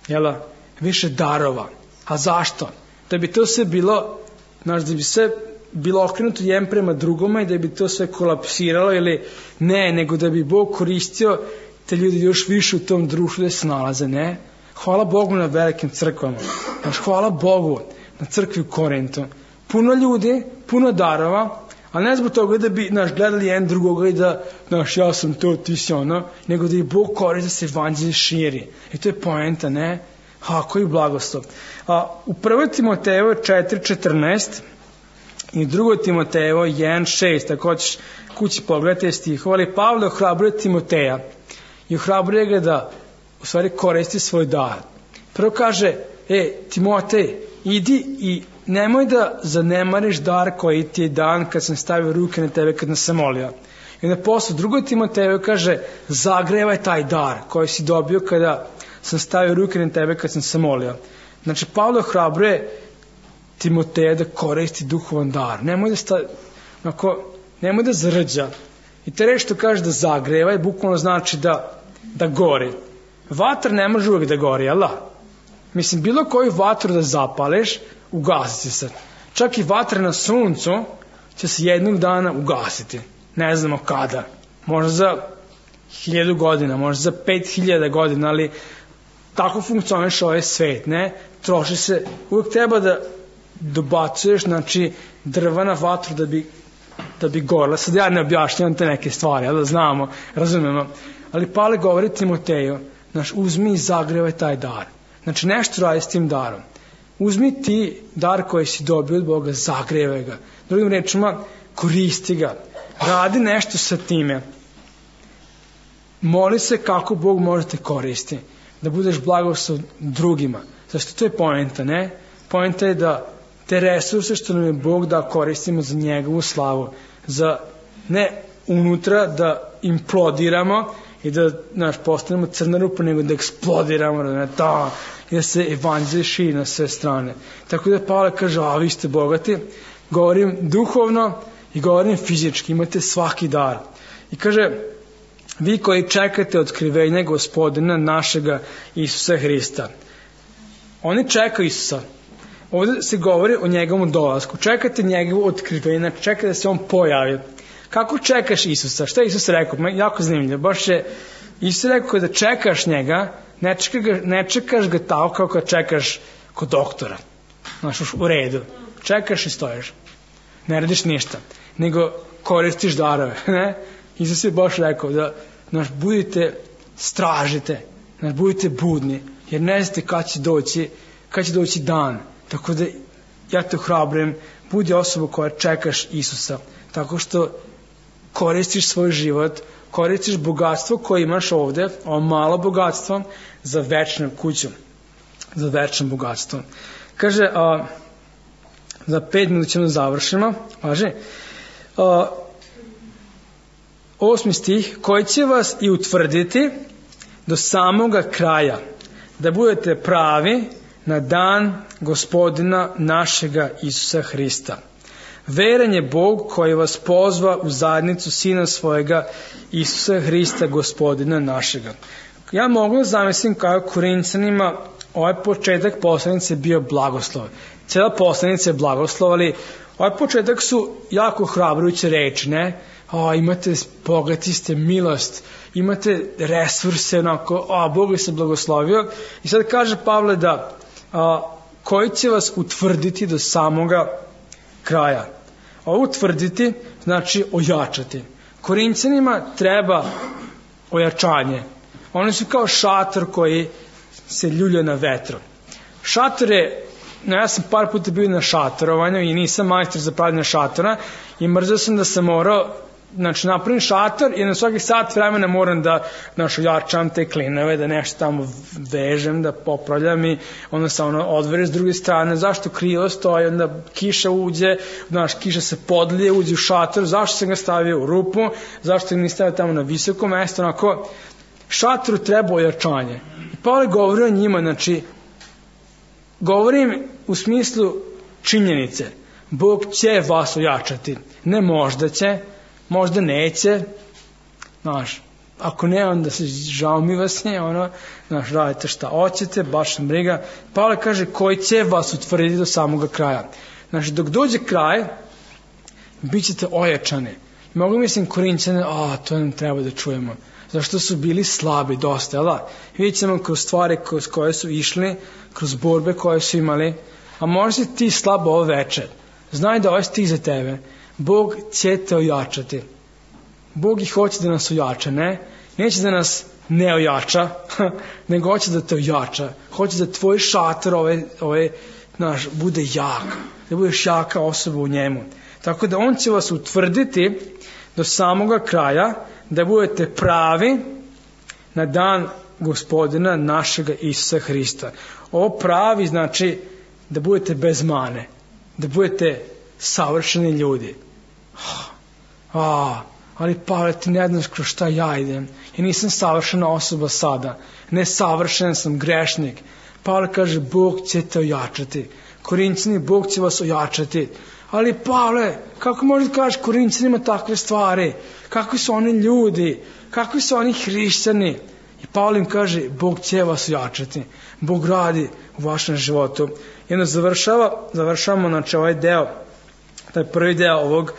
jel? Više darova. A zašto? Da bi to sve bilo, znaš, da bi sve bilo okrenuto jedan prema drugome i da bi to sve kolapsiralo ili ne, nego da bi Bog koristio te ljudi još više u tom društvu da se nalaze, ne? Hvala Bogu na velikim crkvama. Znaš, hvala Bogu na crkvi u Korintu. Puno ljudi, puno darova, ali ne zbog toga da bi gledali jedan drugoga i da, ja sam to, ti si ono, nego da i Bog koristi da se evanđelje širi. I to je poenta, ne? Koji blagoslov. U 1. Timotejevo 4.14 i 2. Timotejevo 1.6, ako hoćeš kući pogledati stihova, ali Pavle ohrabruje Timoteja i ohrabruje ga da u stvari koristi svoj dar. Prvo kaže, Timotej, idi i nemoj da zanemariš dar koji ti je dan kad sam stavio ruke na tebe kad nas sam molio. I onda posle 2. Timoteju kaže, zagrevaj taj dar koji si dobio kada sam stavio ruke na tebe kad sam se molio. Znači, Pavle ohrabruje Timoteja da koristi duhovan dar. Nemoj da zrđa. I te reči što kaže da zagrevaj, bukvalno znači da gori. Vatra ne može uvijek da gori, jel da? Mislim, bilo koju vatru da zapališ, ugasiti se. Čak i vatra na suncu će se jednog dana ugasiti. Ne znamo kada. Možda za 1000 godina, možda za 5000 godina, ali tako funkcioniše ovaj svet, ne? Troši se, uvijek treba da dobacuješ, znači, drva na vatru da bi gorila. Sad ja ne objašnjavam te neke stvari, ali da znamo, razumemo. Ali Pavle govori Timoteju, znači, uzmi i zagrevaj taj dar. Znači, nešto radi s tim darom. Uzmi ti dar koji si dobio od Boga, zagrevaj ga. Drugim rečima, koristi ga. Radi nešto sa time. Moli se kako Bog može te koristi. Da budeš blagoslov drugima. Zašto to je poenta, ne? Poenta je da te resurse što nam je Bog da koristimo za njegovu slavu. Za ne unutra da implodiramo i da postanemo crna rupa, nego da eksplodiramo, i da se evanđelje širi na sve strane. Tako da Pavle kaže, vi ste bogati, govorim duhovno i govorim fizički, imate svaki dar. I kaže, vi koji čekate otkrivenje Gospodina našega Isusa Hrista. Oni čekaju Isusa. Ovdje se govori o njegovom dolasku. Čekate njegovo otkrivenje, čekate da se on pojavi. Kako čekaš Isusa? Šta je Isus rekao? Jako zanimljivo. Baš je Isus rekao da čekaš njega, ne čekaš ga tako kao kad čekaš kod doktora. Znaš, u redu. Čekaš i stojiš. Ne radiš ništa. Nego koristiš darove. Ne? Isus je baš rekao da budite, stražite, budite budni, jer ne znate kad će doći dan. Tako da ja te ohrabrujem, budi osoba koja čekaš Isusa, tako što koristiš svoj život, koristiš bogatstvo koje imaš ovde, ovo malo bogatstvo, za večnu kuću, za večno bogatstvo. Kaže, za 5 minuta ćemo završimo, važi, 8. stih, koji će vas i utvrditi do samoga kraja, da budete pravi na dan Gospodina našega Isusa Hrista. Veran je Bog koji vas pozva u zajednicu Sina svojega Isusa Hrista, Gospodina našega. Ja mogu da zamislim kao Korinćanima ovaj početak poslanice bio blagoslov. Cijela poslanica je blagoslov, ali ovaj početak su jako hrabrujuće reči, ne? Imate, bogati ste, milost, imate resurse, onako, Bog je se blagoslovio. I sad kaže Pavle da koji će vas utvrditi do samoga kraja. Ovo utvrditi znači ojačati. Korinćanima treba ojačanje. Oni su kao šator koji se ljulja na vetru. Šator je, ja sam par puta bio na šatorovanju i nisam majstor za pravljanje šatora i mrzio sam da sam morao, napravim šator i na svaki sat vremena moram da ojačam te klinove, da nešto tamo vežem, da popravljam i onda se odvere s druge strane, zašto krilo stoji, onda kiša uđe, kiša se podlije, uđe u šator, zašto sam ga stavio u rupu, zašto ga ne stavio tamo na visoko mesto, onako, šatoru treba ojačanje. I Pavle govori o njima, govorim u smislu činjenice, Bog će vas ojačati, ne možda će, možda neće, Znaš, ako ne, onda se žao mi vas nje, znaš, radite šta hoćete, baš sam briga. Pavle kaže, koji će vas utvrditi do samoga kraja. Znači, dok dođe kraj, bit ćete ojačani. Mogu mislim Korinćane, to nam treba da čujemo. Zašto su bili slabi dosta, jel da? Vidjet ćemo kroz stvari kroz koje su išli, kroz borbe koje su imali, a možda si ti slabo ovo večer. Znaj da ovo stih za tebe. Bog će te ojačati. Bog ih hoće da nas ojača, ne? Neće da nas ne ojača, nego hoće da te ojača. Hoće da tvoj šator naš, bude jak. Da budeš jaka osoba u njemu. Tako da on će vas utvrditi do samoga kraja, da budete pravi na dan Gospodina našega Isusa Hrista. Ovo pravi znači da budete bez mane, da budete savršeni ljudi. Ali Pavle, ti ne znaš kroz šta ja idem. Ja nisam savršena osoba sada. Ne savršen sam, grešnik. Pavle kaže, Bog će te ojačati. Korinćani, Bog će vas ojačati. Ali Pavle, kako možeš da kažeš Korinćanima takve stvari? Kakvi su oni ljudi? Kakvi su oni hrišćani? I Pavle im kaže, Bog će vas ojačati. Bog radi u vašem životu. I onda završavamo znači ovaj deo, taj prvi deo ovog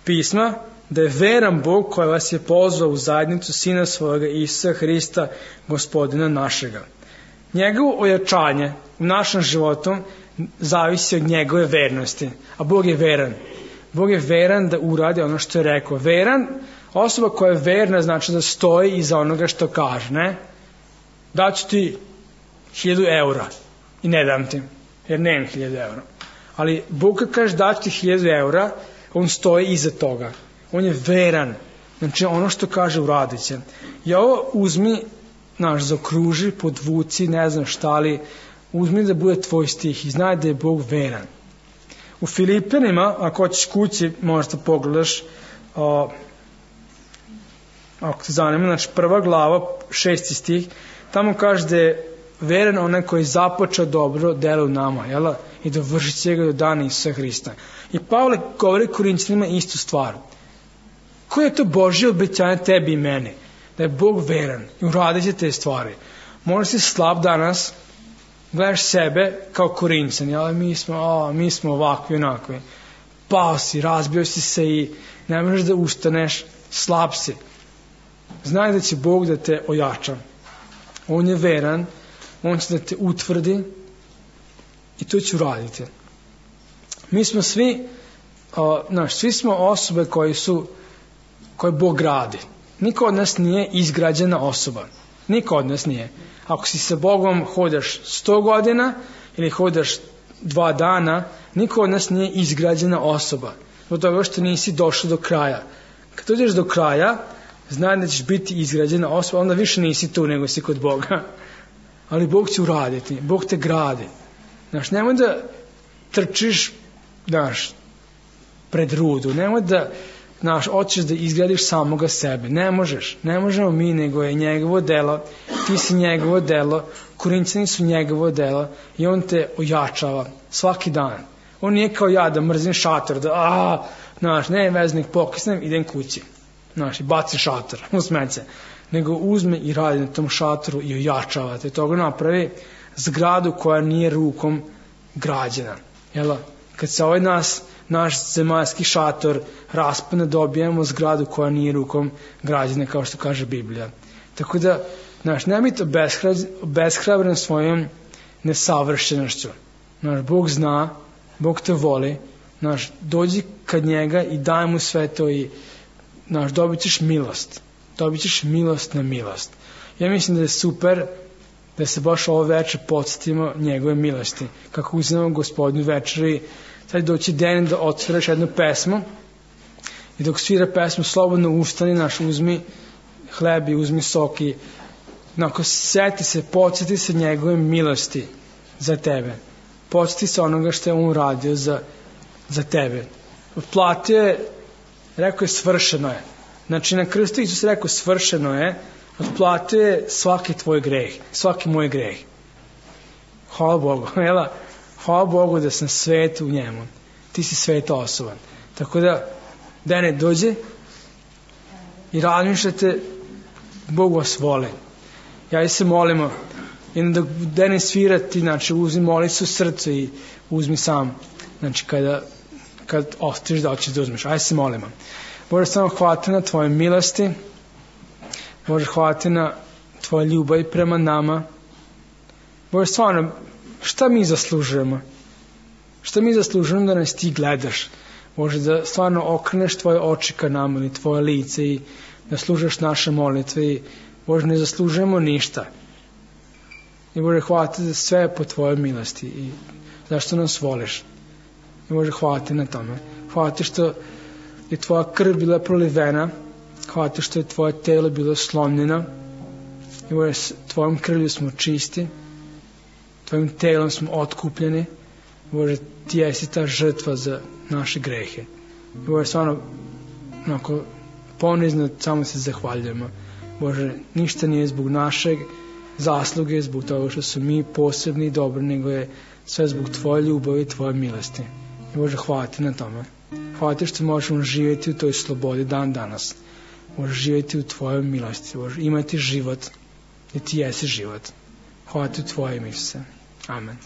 pisma, da je veran Bog koji vas je pozvao u zajednicu Sina svojega Isusa Hrista, Gospodina našega. Njegovo ojačanje u našem životu zavisi od njegove vernosti. A Bog je veran. Bog je veran da uradi ono što je rekao. Veran, osoba koja je verna znači da stoji iza onoga što kaže, ne? Daću ti 1000 eura i ne dam ti, jer nemam 1000 eura. Ali Bog kad kaže daću ti 1000 eura, on stoji iza toga. On je veran. Znači ono što kaže uradit će. I ovo uzmi, zaokruži, podvuci, ne znam šta li, uzmi da bude tvoj stih i znaj da je Bog veran. U Filipenima, ako hoćeš kući, možda pogledaš, ako te zanima, znači 1. glava, 6. stih, tamo kaže da je veran onaj koji je započeo dobro delo u nama, jel? I da vrši će ga do dana Isusa Hrista. I Pavle govori Korinćanima istu stvar. Koje je to Božje obećanje tebi i meni? Da je Bog veran i uradit će te stvari. Možda si slab danas, gledaš sebe kao Korinćani, ali mi smo ovakvi, onakvi. Pao si, razbio si se i ne možeš da ustaneš, slab si. Znaj da će Bog da te ojača. On je veran, on će da te utvrdi i to će uraditi. Mi smo svi smo osobe koje Bog radi. Niko od nas nije izgrađena osoba. Niko od nas nije. Ako si sa Bogom hodaš 100 godina ili hodaš 2 dana, niko od nas nije izgrađena osoba. Zbog toga što nisi došao do kraja. Kad dođeš do kraja, znaj da ćeš biti izgrađena osoba, onda više nisi tu nego si kod Boga. Ali Bog će uraditi. Bog te gradi. Nemoj da trčiš pred rudu. Nemoj da hoćeš da izgradiš samoga sebe. Ne možeš. Ne možemo mi, nego je njegovo delo. Ti si njegovo delo. Korinćani su njegovo delo. I on te ojačava svaki dan. On nije kao ja da mrzim šator, ne veznik pokisnem, idem kući. I bacim šator u smeće. Nego uzme i radi na tom šatoru i ojačava te. Toga napravi zgradu koja nije rukom građena. Kad se naš zemaljski šator raspane, dobijemo zgradu koja nije rukom građena, kao što kaže Biblija. Tako da, ne biti obeshrabren svojom nesavršenošću. Bog zna, Bog te voli, dođi kad njega i daj mu sve to i dobit ćeš milost. Dobit ćeš milost na milost. Ja mislim da je super da se baš ovo večer podsjetimo njegove milosti. Kako uzimamo Gospodnju večer i sad doći den da odsviraš jednu pesmu i dok svira pesmu slobodno ustani, uzmi hleb i uzmi sok i podsjeti se njegove milosti za tebe. Podsjeti se onoga što je on uradio za tebe. Otplatio je, rekao je svršeno je. Na krstu Isus rekao svršeno je, otplatio je svaki tvoj greh, svaki moj greh. Hvala Bogu, hvala Bogu da sam svet u njemu. Ti si sveta osoba. Tako da, Dene, dođi. i razmišljate, Bog vas voli. Ja se molimo, i da Denis svira ti, znači uzmi molicu u srcu i uzmi sam, znači kad ostaviš da hoćeš da uzmeš, se molimo. Bože, samo hvala na tvoje milosti, Bože, hvala na tvoje ljubav prema nama. Bože, stvarno, šta mi zaslužujemo? Šta mi zaslužujemo da nas ti gledaš? Bože, da stvarno okreneš tvoje oči ka nama ili tvoje lice i da služeš naše molitve i Bože, ne zaslužujemo ništa. I Bože, hvala ti za sve po tvojoj milosti i zašto nas voliš. I Bože, hvala ti na tome. Hvala ti što je tvoja krv bila prolivena, hvala ti što je tvoje telo bilo slomljeno i Bože, tvojom krvlju smo čisti, tvojim telom smo otkupljeni. Bože, ti jesi ta žrtva za naše grehe. I Bože, stvarno onako ponizno samo se zahvaljujemo. Bože, ništa nije zbog našeg zasluge, zbog toga što su mi posebni i dobri, nego je sve zbog tvoje ljubavi i tvoje milosti. I Bože, hvala ti na tome. Hvala ti što možemo živjeti u toj slobodi dan danas. Bože, živjeti u tvojoj milosti. Bože, imati život, jer ti jesi život. Hvala ti u tvoje ime, Isuse. Amen.